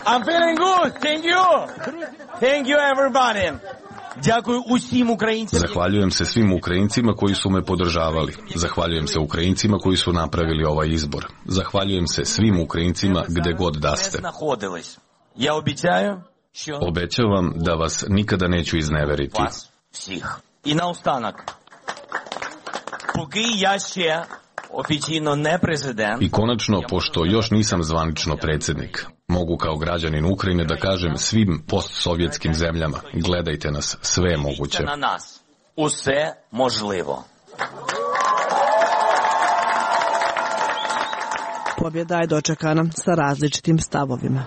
Speaker 12: I'm feeling good. Thank you. Thank you everybody.
Speaker 11: Zahvaljujem se svim Ukrajincima koji su me podržavali. Zahvaljujem se Ukrajincima koji su napravili ovaj izbor. Zahvaljujem se svim Ukrajincima gde god da ste. Obećavam da vas nikada neću izneveriti.
Speaker 12: I na ostanak. Поки я ще oficijalno ne prezident.
Speaker 11: I konačno, pošto još nisam zvanično predsjednik, mogu kao građanin Ukrajine da kažem svim postsovjetskim zemljama, gledajte nas, sve je moguće.
Speaker 12: Na nas, uсе можливо.
Speaker 8: Pobjeda je dočekana sa različitim stavovima.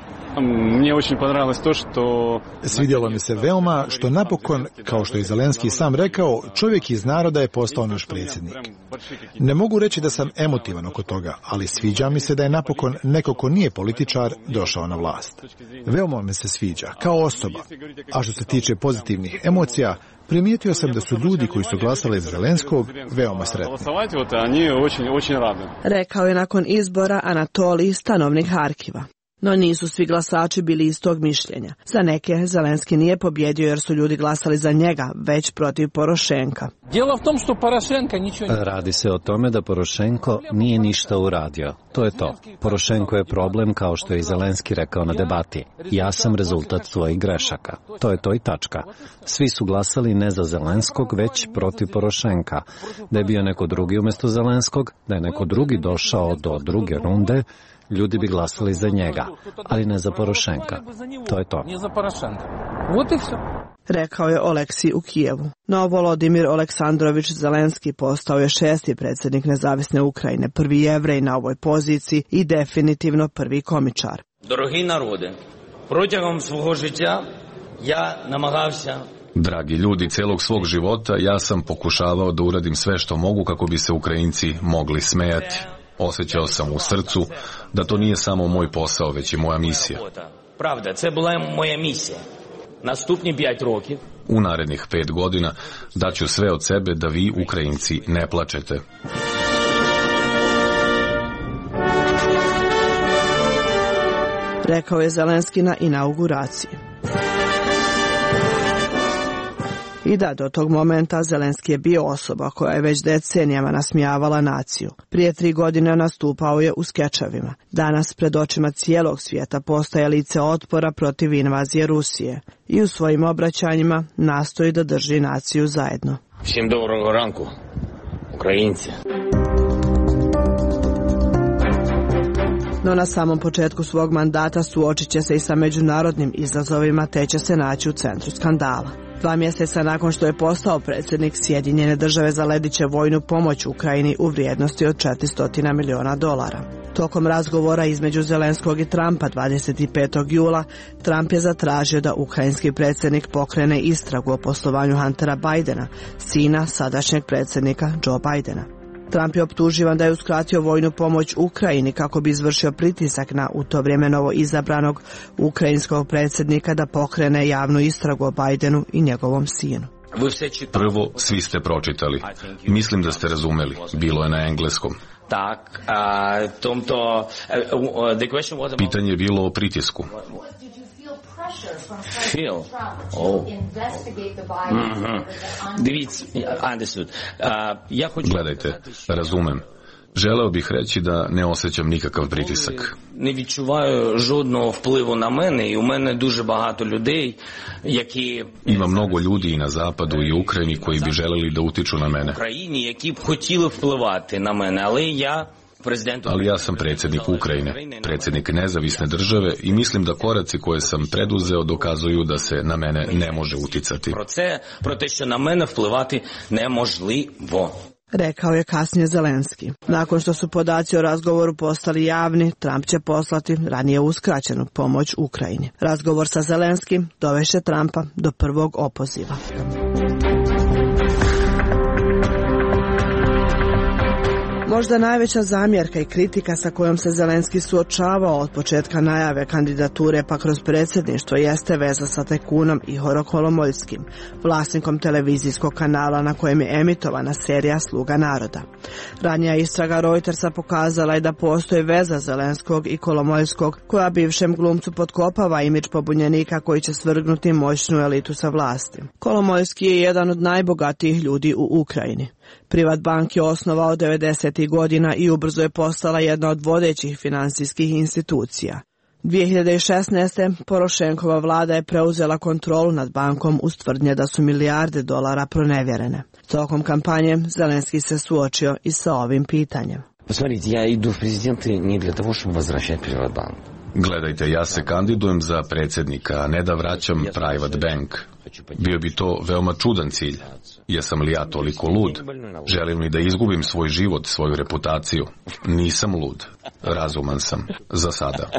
Speaker 20: Svidjelo mi se veoma što napokon, kao što je Zelenski sam rekao, čovjek iz naroda je postao naš predsjednik. Ne mogu reći da sam emotivan oko toga, ali sviđa mi se da je napokon neko ko nije političar došao na vlast. Veoma mi se sviđa, kao osoba. A što se tiče pozitivnih emocija, primijetio sam da su ljudi koji su glasali za Zelenskog veoma sretni.
Speaker 8: Rekao je nakon izbora Anatolij, stanovnik Harkiva. No nisu svi glasači bili istog mišljenja. Za neke Zelenski nije pobjedio jer su ljudi glasali za njega, već protiv Porošenka.
Speaker 3: Radi se o tome da Porošenko nije ništa uradio. To je to. Porošenko je problem, kao što je i Zelenski rekao na debati. Ja sam rezultat svojih grešaka. To je to i tačka. Svi su glasali ne za Zelenskog, već protiv Porošenka. Da je bio neko drugi umjesto Zelenskog, da je neko drugi došao do druge runde, ljudi bi glasali za njega, ali ne za Porošenka. To je to.
Speaker 8: Rekao je Oleksij u Kijevu. No Volodimir Aleksandrović Zelenski postao je 6. predsjednik nezavisne Ukrajine, prvi Jevrej na ovoj poziciji i definitivno prvi komičar.
Speaker 12: Дорогі народи, протягом свого життя я намагався.
Speaker 11: Dragi ljudi, celog svog života ja sam pokušavao da uradim sve što mogu kako bi se Ukrajinci mogli smejati. Osjećao sam u srcu da to nije samo moj posao, već i moja misija.
Speaker 12: Правда, це була моя місія. Наступні 5 років.
Speaker 11: U narednih 5 godina daću sve od sebe da vi, Ukrajinci, ne plačete.
Speaker 8: Rekao je Zelenski na inauguraciji. I da, do tog momenta Zelenski je bio osoba koja je već decenijama nasmijavala naciju. Prije 3 godine nastupao je u skečevima. Danas pred očima cijelog svijeta postaje lice otpora protiv invazije Rusije i u svojim obraćanjima nastoji da drži naciju zajedno.
Speaker 12: Всім доброго ранку, українці.
Speaker 8: No na samom početku svog mandata suočit će se i sa međunarodnim izazovima te će se naći u centru skandala. 2 mjeseca nakon što je postao predsjednik, Sjedinjene države zaledit će vojnu pomoć Ukrajini u vrijednosti od $400 miliona. Tokom razgovora između Zelenskog i Trumpa 25. jula, Trump je zatražio da ukrajinski predsjednik pokrene istragu o poslovanju Huntera Bidena, sina sadašnjeg predsjednika Joe Bidena. Trump je optuživan da je uskratio vojnu pomoć Ukrajini kako bi izvršio pritisak na u to vrijeme novo izabranog ukrajinskog predsjednika da pokrene javnu istragu o Bidenu i njegovom sinu.
Speaker 11: Prvo, svi ste pročitali. Mislim da ste razumeli. Bilo je na engleskom. Pitanje je bilo o pritisku. Gledajte, razumem. Želeo bih reći da ne osjećam nikakav pritisak.
Speaker 12: Не відчуваю жодного впливу на мене, і у мене дуже багато людей, які
Speaker 11: Ima mnogo ljudi i na zapadu i u Ukrajini koji bi želeli da utiču na mene.
Speaker 12: в Україні, які б хотіли впливати на мене, але я
Speaker 11: Ali ja sam predsjednik Ukrajine, predsjednik nezavisne države i mislim da koraci koje sam preduzeo dokazuju da se na mene ne može uticati.
Speaker 12: Про те, що на мене впливати неможливо.
Speaker 8: Rekao je kasnije Zelenski. Nakon što su podaci o razgovoru postali javni, Trump će poslati ranije uskraćenu pomoć Ukrajini. Razgovor sa Zelenskim dovešće Trumpa do prvog opoziva. Možda najveća zamjerka i kritika sa kojom se Zelenski suočavao od početka najave kandidature pa kroz predsjedništvo jeste veza sa tajkunom Ihorom Kolomoiskim, vlasnikom televizijskog kanala na kojem je emitovana serija Sluga naroda. Ranija istraga Reutersa pokazala je da postoji veza Zelenskog i Kolomoiskog koja bivšem glumcu potkopava imidž pobunjenika koji će svrgnuti moćnu elitu sa vlasti. Kolomoiski je jedan od najbogatijih ljudi u Ukrajini. Privatbank je osnovao 90. godina i ubrzo je postala jedna od vodećih financijskih institucija. 2016. Porošenkova vlada je preuzela kontrolu nad bankom uz tvrdnje da su milijarde dolara pronevjerene. Tokom kampanje Zelenski se suočio i sa ovim pitanjem.
Speaker 10: Посмотрите, я иду в президенты не для того, чтобы возвращать Приватбанк.
Speaker 11: Gledajte, ja se kandidujem za predsjednika, a ne da vraćam Private Bank. Bio bi to veoma čudan cilj. Jesam li ja toliko lud? Želim li da izgubim svoj život, svoju reputaciju? Nisam lud. Razuman sam. Za sada.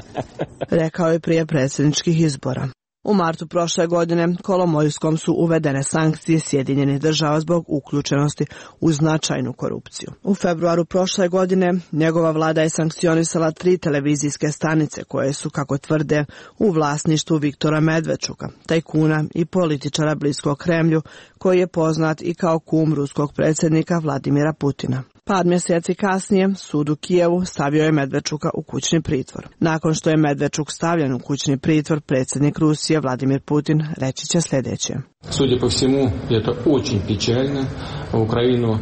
Speaker 8: Rekao je prije predsjedničkih izbora. U martu prošle godine Kolomojskom su uvedene sankcije Sjedinjenih država zbog uključenosti u značajnu korupciju. U februaru prošle godine njegova vlada je sankcionisala 3 televizijske stanice koje su, kako tvrde, u vlasništvu Viktora Medvedčuka, tajkuna i političara bliskog Kremlju, koji je poznat i kao kum ruskog predsjednika Vladimira Putina. Par mjeseci kasnije, sud u Kijevu stavio je Medvedčuka u kućni pritvor. Nakon što je Medvedčuk stavljen u kućni pritvor, predsjednik Rusije Vladimir Putin reći će sljedeće.
Speaker 14: Судя по всему, это очень печально. Украину...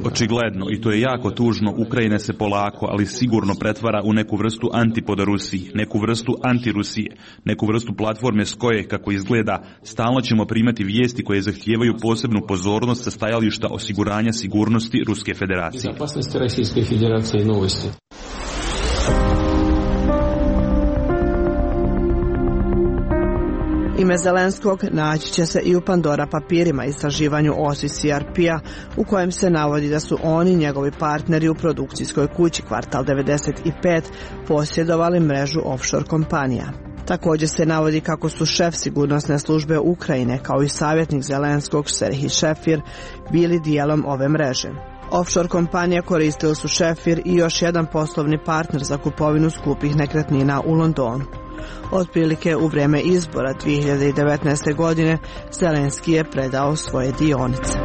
Speaker 15: Očigledno, i to je jako tužno, Ukrajina se polako, ali sigurno pretvara u neku vrstu antipoda Rusiji, neku vrstu antirusije, neku vrstu platforme s koje, kako izgleda, stalno ćemo primati vijesti koje zahtijevaju posebnu pozornost sa stajališta osiguranja sigurnosti Ruske federacije.
Speaker 14: Безопасности Российской Федерации новости.
Speaker 8: Ime Zelenskog naći će se i u Pandora papirima istraživanju OSI CRP-a u kojem se navodi da su oni, njegovi partneri u produkcijskoj kući Kvartal 95, posjedovali mrežu offshore kompanija. Također se navodi kako su šef sigurnosne službe Ukrajine kao i savjetnik Zelenskog Serhij Šefir bili dijelom ove mreže. Offshore kompanije koristili su Šefir i još jedan poslovni partner za kupovinu skupih nekretnina u Londonu. Otprilike u vrijeme izbora 2019. godine Zelenski je predao svoje dionice.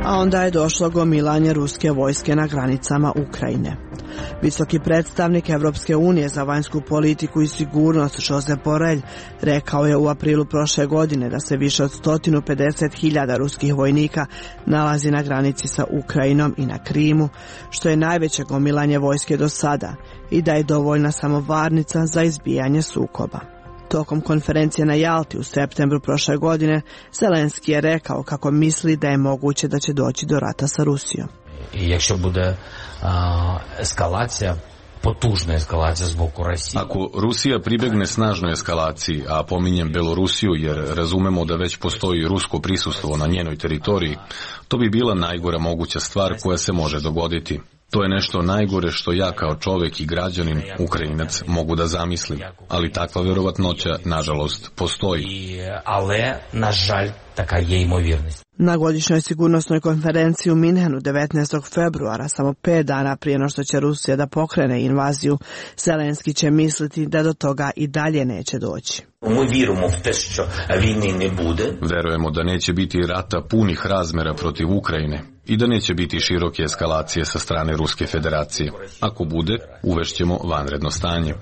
Speaker 8: A onda je došlo gomilanje ruske vojske na granicama Ukrajine. Visoki predstavnik Europske unije za vanjsku politiku i sigurnost Josep Borrell rekao je u aprilu prošle godine da se više od 150.000 ruskih vojnika nalazi na granici sa Ukrajinom i na Krimu, što je najveće gomilanje vojske do sada i da je dovoljna samo varnica za izbijanje sukoba. Tokom konferencije na Jalti u septembru prošle godine, Zelenski je rekao kako misli da je moguće da će doći do rata sa Rusijom.
Speaker 10: I якщо буде ескалація, potужna eskalacija zbog Rusije.
Speaker 11: Ako Rusija pribegne snažnoj eskalaciji, a pominjem Belorusiju jer razumemo da već postoji rusko prisustvo na njenoj teritoriji, to bi bila najgora moguća stvar koja se može dogoditi. To je nešto najgore što ja kao čovjek i građanin, Ukrajinac, mogu da zamislim, ali takva vjerovatnoća, nažalost, postoji.
Speaker 10: Ale, nažalj, taka je imovjernost.
Speaker 8: Na godišnjoj sigurnosnoj konferenciji u Minhenu 19. februara, samo 5 dana prije no što će Rusija da pokrene invaziju, Zelenski će misliti da do toga i dalje neće doći.
Speaker 11: Verujemo da neće biti rata punih razmjera protiv Ukrajine i da neće biti široke eskalacije sa strane Ruske federacije. Ako bude, uvešćemo vanredno stanje.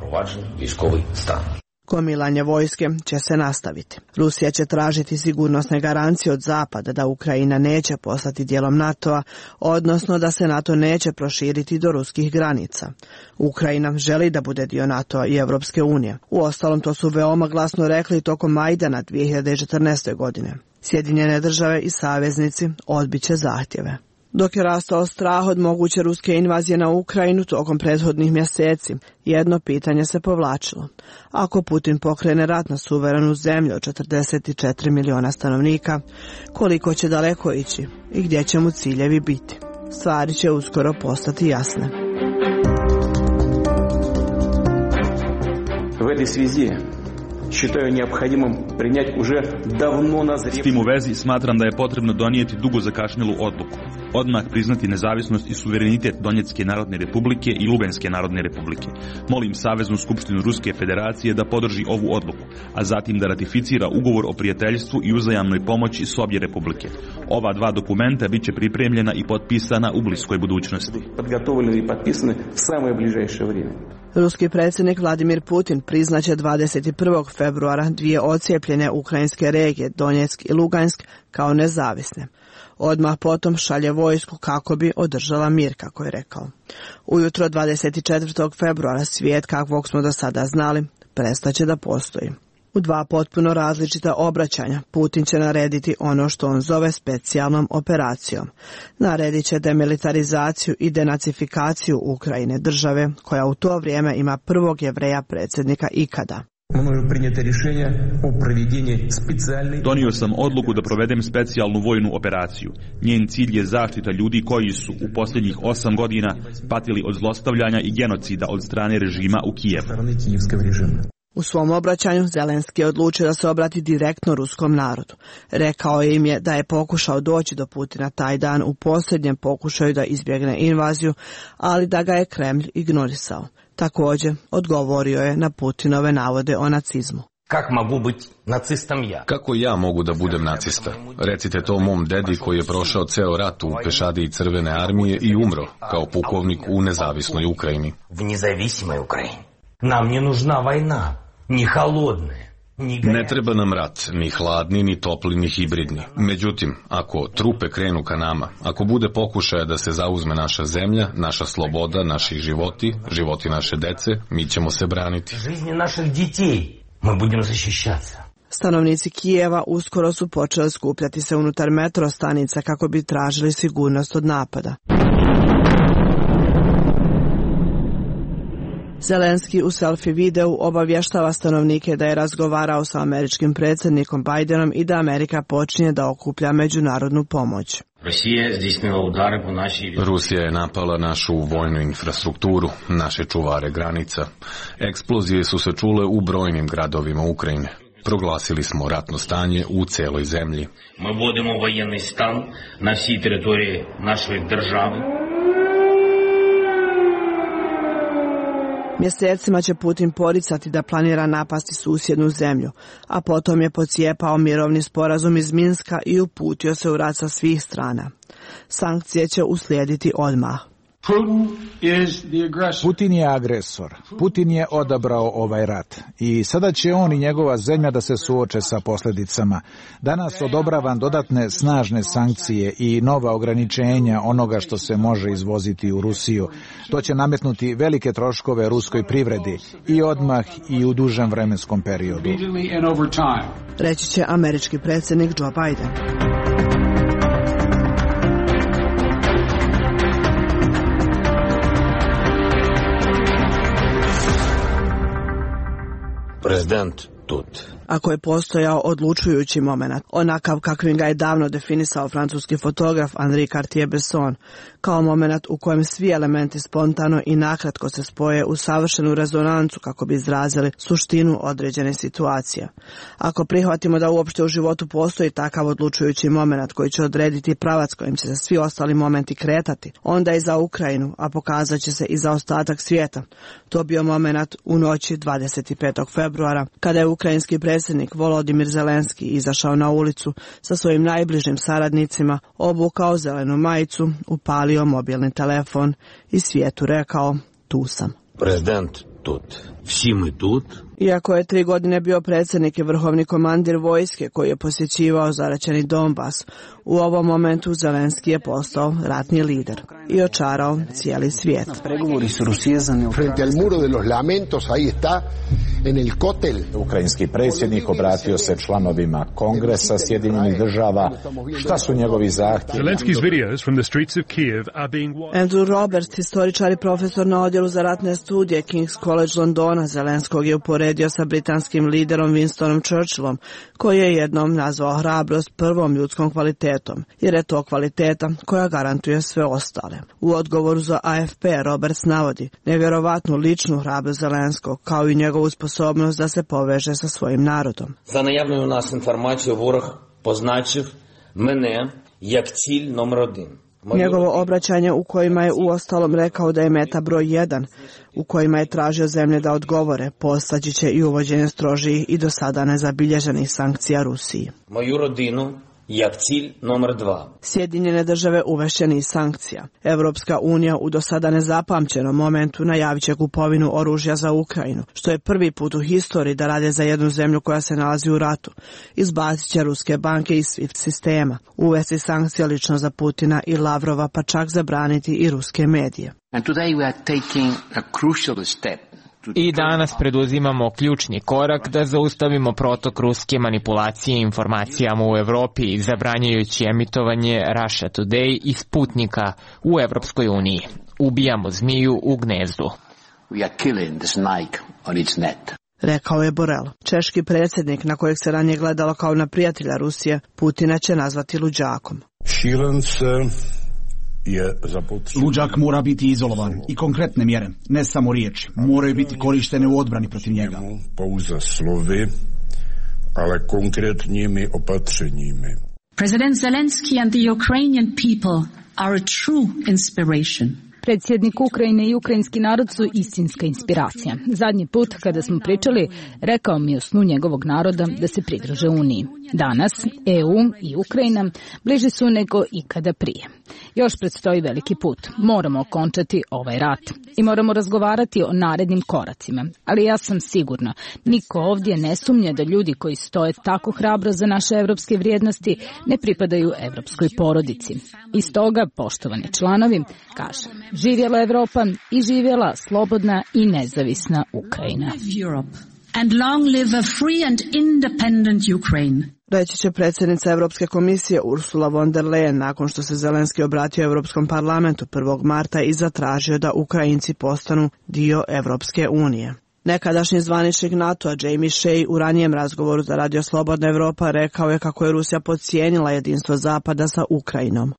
Speaker 8: Gomilanje vojske će se nastaviti. Rusija će tražiti sigurnosne garancije od Zapada da Ukrajina neće postati dijelom NATO-a, odnosno da se NATO neće proširiti do ruskih granica. Ukrajina želi da bude dio NATO-a i Europske unije. Uostalom, to su veoma glasno rekli tokom Majdana 2014. godine. Sjedinjene države i saveznici odbit će zahtjeve. Dok je rastao strah od moguće ruske invazije na Ukrajinu tokom prethodnih mjeseci, jedno pitanje se povlačilo. Ako Putin pokrene rat na suverenu zemlju od 44 miliona stanovnika, koliko će daleko ići i gdje će mu ciljevi biti? Stvari će uskoro postati jasne.
Speaker 14: В этой связи считаю необходимым принять уже давно назревшую...
Speaker 15: S tim u vezi smatram da je potrebno donijeti dugo zakašnjelu odluku. Odmah priznati nezavisnost i suverenitet Donjecke narodne republike i Luganske narodne republike. Molim Saveznu skupštinu Ruske federacije da podrži ovu odluku, a zatim da ratificira ugovor o prijateljstvu i uzajamnoj pomoći s obje republike. Ova dva dokumenta biće pripremljena i potpisana u bliskoj budućnosti.
Speaker 14: Подготовлены и подписаны в самое ближайшее время.
Speaker 8: Ruski predsjednik Vladimir Putin priznaće 21. februara dvije odcijepljene ukrajinske regije Donjeck i Lugansk kao nezavisne. Odmah potom šalje vojsku kako bi održala mir, kako je rekao. Ujutro 24. februara svijet, kakvog smo do sada znali, prestaće da postoji. U dva potpuno različita obraćanja Putin će narediti ono što on zove specijalnom operacijom. Naredit će demilitarizaciju i denacifikaciju Ukrajine, države koja u to vrijeme ima prvog Jevreja predsjednika ikada.
Speaker 15: Donio sam odluku da provedem specijalnu vojnu operaciju. Njen cilj je zaštita ljudi koji su u posljednjih 8 godina patili od zlostavljanja i genocida od strane režima u Kijevu.
Speaker 8: U svom obraćanju Zelenski je odlučio da se obrati direktno ruskom narodu. Rekao im je da je pokušao doći do Putina taj dan u posljednjem pokušaju da izbjegne invaziju, ali da ga je Kremlj ignorisao. Također, odgovorio je na Putinove navode o nacizmu.
Speaker 11: Kako ja mogu da budem nacista? Recite to mom dedi koji je prošao ceo rat u pešadiji Crvene armije i umro kao pukovnik u nezavisnoj Ukrajini.
Speaker 12: Nam не нужна война, не холодная.
Speaker 11: Ne treba nam rat, ni hladni, ni topli, ni hibridni. Međutim, ako trupe krenu ka nama, ako bude pokušaja da se zauzme naša zemlja, naša sloboda, naši životi, životi naše dece, mi ćemo se braniti.
Speaker 12: Жизни naših детей мы будем защищаться.
Speaker 8: Stanovnici Kijeva uskoro su počeli skupljati se unutar metro stanica kako bi tražili sigurnost od napada. Zelenski u selfie videu obavještava stanovnike da je razgovarao sa američkim predsjednikom Bidenom i da Amerika počinje da okuplja međunarodnu pomoć.
Speaker 11: Rusija je napala našu vojnu infrastrukturu, naše čuvare granica. Eksplozije su se čule u brojnim gradovima Ukrajine. Proglasili smo ratno stanje u celoj zemlji.
Speaker 12: Mi vodimo воєнний стан на всій території нашої держави.
Speaker 8: Mjesecima će Putin poricati da planira napasti susjednu zemlju, a potom je pocijepao mirovni sporazum iz Minska i uputio se u rat sa svih strana. Sankcije će uslijediti odmah.
Speaker 1: Putin je agresor. Putin je odabrao ovaj rat. I sada će on i njegova zemlja da se suoče sa posljedicama. Danas odobravam dodatne snažne sankcije i nova ograničenja onoga što se može izvoziti u Rusiju. To će nametnuti velike troškove ruskoj privredi i odmah i u dužem vremenskom periodu.
Speaker 8: Reći će američki predsjednik Joe Biden.
Speaker 10: Президент тут.
Speaker 8: Ako je postojao odlučujući moment, onakav kakvim ga je davno definisao francuski fotograf Henri Cartier-Bresson, kao moment u kojem svi elementi spontano i nakratko se spoje u savršenu rezonancu kako bi izrazili suštinu određene situacije. Ako prihvatimo da uopšte u životu postoji takav odlučujući moment koji će odrediti pravac kojim će se svi ostali momenti kretati, onda i za Ukrajinu, a pokazat će se i za ostatak svijeta. To bio moment u noći 25. februara, kada je ukrajinski predsjednik Volodimir Zelenski izašao na ulicu sa svojim najbližim saradnicima, obukao zelenu majicu, upalio mobilni telefon i svijetu rekao: tu sam.
Speaker 10: Prezident tut. Vsi mi tut.
Speaker 8: Iako je 3 godine bio predsjednik i vrhovni komandir vojske koji je posjećivao zaraćeni Donbas, u ovom momentu Zelenski je postao ratni lider i očarao cijeli svijet.
Speaker 17: Frente al muro de los lamentos, ahí está, en el kotel.
Speaker 18: Ukrajinski predsjednik obratio se članovima Kongresa Sjedinjenih država. Šta su njegovi zahtjevi?
Speaker 8: Andrew Roberts, historičar i profesor na odjelu za ratne studije King's College Londona, Zelenskog je uporedio sa britanskim liderom Winstonom Churchillom, koji je jednom nazvao hrabrost prvom ljudskom kvalitetom, jer je to kvaliteta koja garantuje sve ostale. U odgovoru za AFP Roberts navodi nevjerovatnu ličnu hrabrost Zelenskog, kao i njegovu sposobnost da se poveže sa svojim narodom.
Speaker 12: За наявною у нас інформацією ворог позначив мене як ціль номер 1.
Speaker 8: Njegovo obraćanje u kojima je uostalom rekao da je meta broj 1, u kojima je tražio zemlje da odgovore, postaći će i uvođenje strožijih i do sada nezabilježenih sankcija Rusiji.
Speaker 12: Moju rodinu jak cilj номер 2.
Speaker 8: Sjedinjene države uvešće niz sankcija. Evropska unija u do sada nezapamćenom momentu najavit će kupovinu oružja za Ukrajinu, što je prvi put u historiji da rade za jednu zemlju koja se nalazi u ratu. Izbacit će ruske banke iz SWIFT sistema, uvesti sankcije lično za Putina i Lavrova, pa čak zabraniti i ruske medije.
Speaker 19: And today we are taking a crucial step
Speaker 6: I danas preduzimamo ključni korak da zaustavimo protok ruske manipulacije informacijama u Evropi, zabranjujući emitovanje Russia Today i Sputnika u Evropskoj uniji. Ubijamo zmiju u gnezdu.
Speaker 8: Rekao je Borel. Češki predsjednik, na kojeg se ranije gledalo kao na prijatelja Rusije, Putina će nazvati luđakom.
Speaker 9: Luđak mora biti izolovan i konkretne mjere, ne samo riječi, moraju biti korištene u odbrani protiv njega.
Speaker 19: Pouze slovy, ale konkretními opatřeními.
Speaker 22: President Zelensky and the Ukrainian people are a true inspiration.
Speaker 24: Predsjednik Ukrajine i ukrajinski narod su istinska inspiracija. Zadnji put kada smo pričali, rekao mi o snu njegovog naroda da se pridruže Uniji. Danas EU i Ukrajina bliži su nego ikada prije. Još predstoji veliki put. Moramo okončati ovaj rat i moramo razgovarati o narednim koracima. Ali ja sam sigurna, niko ovdje ne sumnja da ljudi koji stoje tako hrabro za naše evropske vrijednosti ne pripadaju evropskoj porodici. I stoga, poštovani članovi, kažem, živjela Evropa i živjela slobodna i nezavisna Ukrajina.
Speaker 22: And long live a free and independent Ukraine.
Speaker 8: Reći će predsjednica Europske komisije Ursula von der Leyen nakon što se Zelenski obratio Europskom parlamentu 1. marta i zatražio da Ukrajinci postanu dio Europske unije. Nekadašnji zvaničnik NATO-a Jamie Shea u ranijem razgovoru za Radio Slobodna Evropa rekao je kako je Rusija podcijenila jedinstvo Zapada sa Ukrajinom.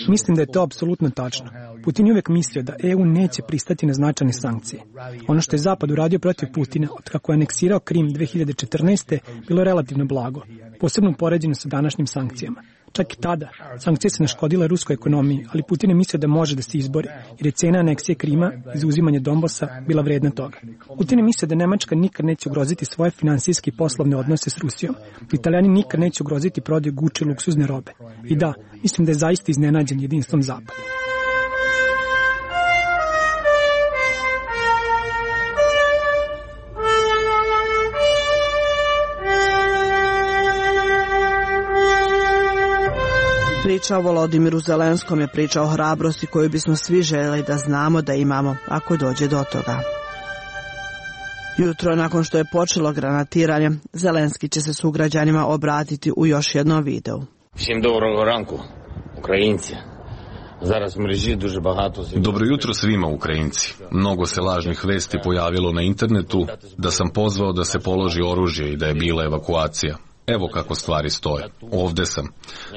Speaker 25: Mislim da je to apsolutno tačno. Putin je uvijek mislio da EU neće pristati na značajne sankcije. Ono što je Zapad uradio protiv Putina od kako je aneksirao Krim 2014. bilo relativno blago, posebno u poređenju sa današnjim sankcijama. Čak i tada, sankcije se naškodile ruskoj ekonomiji, ali Putin je mislio da može da se izbori, jer je cena aneksije Krima i zauzimanje Donbasa bila vredna toga. Putin je mislio da Nemačka nikad neće ugroziti svoje finansijske i poslovne odnose s Rusijom, da Italijani nikad neće ugroziti prodaju Gucci luksuzne robe. I da, mislim da je zaista iznenađen jedinstvom Zapada.
Speaker 8: Priča o Volodimiru Zelenskom je priča o hrabrosti koju bismo svi željeli da znamo da imamo ako dođe do toga. Jutro nakon što je počelo granatiranje, Zelenski će se sugrađanima obratiti u još jednom videu.
Speaker 10: Всім доброго ранку, українці. Зараз в мережі дуже багато...
Speaker 11: Dobro jutro svima Ukrajinci. Mnogo se lažnih vesti pojavilo na internetu da sam pozvao da se položi oružje i da je bila evakuacija. Evo kako stvari stoje. Ovde sam.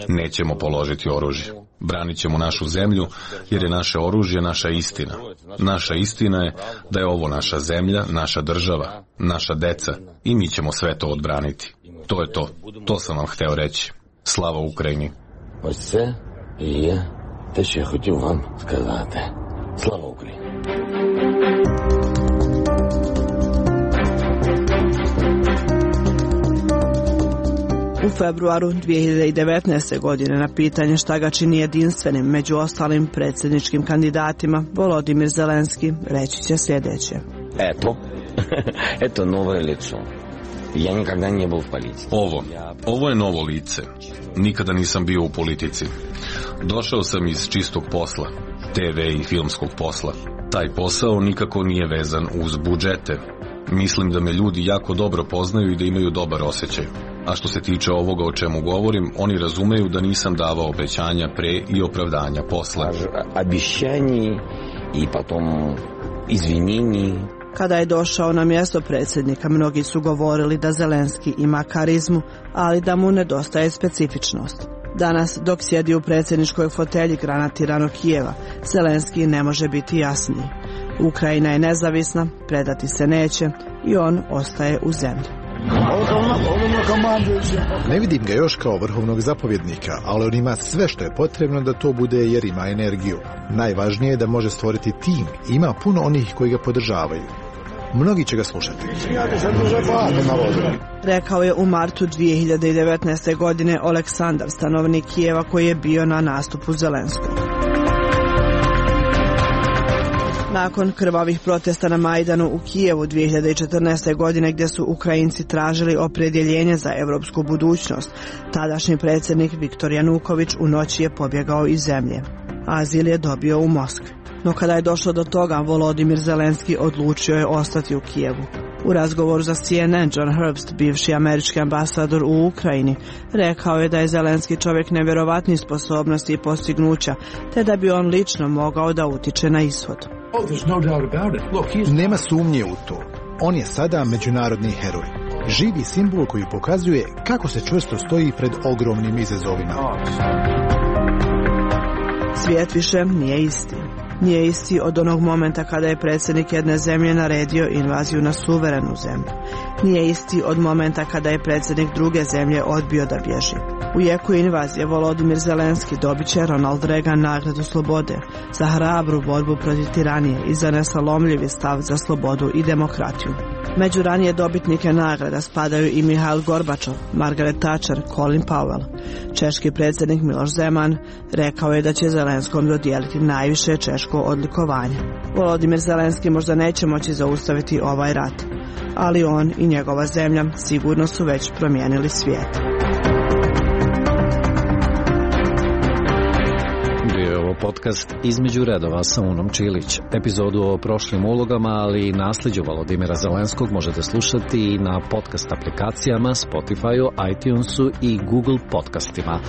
Speaker 11: Nećemo položiti oružje. Branit ćemo našu zemlju jer je naše oružje naša istina. Naša istina je da je ovo naša zemlja, naša država, naša deca i mi ćemo sve to odbraniti. To je to. To sam vam hteo reći. Slava Ukrajini.
Speaker 10: Ось це і є те, що я хотів вам сказати. Слава Україні.
Speaker 8: U februaru 2019. godine na pitanje šta ga čini jedinstvenim među ostalim predsjedničkim kandidatima, Volodimir Zelenski reći će sljedeće.
Speaker 10: Eto novo lice. Ja nikada nije bio u politici.
Speaker 11: Ovo je novo lice. Nikada nisam bio u politici. Došao sam iz čistog posla, TV i filmskog posla. Taj posao nikako nije vezan uz budžete. Mislim da me ljudi jako dobro poznaju i da imaju dobar osjećaj. A što se tiče ovoga o čemu govorim, oni razumeju da nisam davao obećanja pre i opravdanja posle.
Speaker 10: Obećanje i potom izvinjenje.
Speaker 8: Kada je došao na mjesto predsjednika, mnogi su govorili da Zelenski ima karizmu, ali da mu nedostaje specifičnost. Danas, dok sjedi u predsjedničkoj fotelji granatiranog Kijeva, Zelenski ne može biti jasniji. Ukrajina je nezavisna, predati se neće i on ostaje u zemlji.
Speaker 20: Ne vidim ga još kao vrhovnog zapovjednika, ali on ima sve što je potrebno da to bude jer ima energiju. Najvažnije je da može stvoriti tim i ima puno onih koji ga podržavaju. Mnogi će ga slušati.
Speaker 8: Rekao je u martu 2019. godine Oleksandar, stanovnik Kijeva koji je bio na nastupu Zelenskog. Nakon krvavih protesta na Majdanu u Kijevu 2014. godine gdje su Ukrajinci tražili opredjeljenje za europsku budućnost, tadašnji predsjednik Viktor Januković u noći je pobjegao iz zemlje. Azil je dobio u Moskvi. No kada je došlo do toga, Volodimir Zelenski odlučio je ostati u Kijevu. U razgovoru za CNN, John Herbst, bivši američki ambasador u Ukrajini, rekao je da je Zelenski čovjek nevjerovatnih sposobnosti i postignuća, te da bi on lično mogao da utiče na ishod.
Speaker 20: Nema sumnje u to. On je sada međunarodni heroj. Živi simbol koji pokazuje kako se čvrsto stoji pred ogromnim izazovima.
Speaker 8: Svijet više nije isti. Nije isti od onog momenta kada je predsjednik jedne zemlje naredio invaziju na suverenu zemlju. Nije isti od momenta kada je predsjednik druge zemlje odbio da bježi. U jeku invazije Volodimir Zelenski dobit će Ronald Reagan nagradu slobode za hrabru borbu protiv tiranije i za nesalomljivi stav za slobodu i demokratiju. Među ranije dobitnike nagrada spadaju i Mihail Gorbačov, Margaret Thatcher, Colin Powell. Češki predsjednik Miloš Zeman rekao je da će Zelenskom dodijeliti najviše češko odlikovanje. Volodimir Zelenski možda neće moći zaustaviti ovaj rat, ali on i njegova zemlja sigurno su već promijenili svijet.
Speaker 3: Podcast Između redova sa Unom Čilić. Epizodu o prošlim ulogama, ali i nasljeđu Volodimira Zelenskog možete slušati i na podcast aplikacijama, Spotify-u, iTunesu i Google podcastima.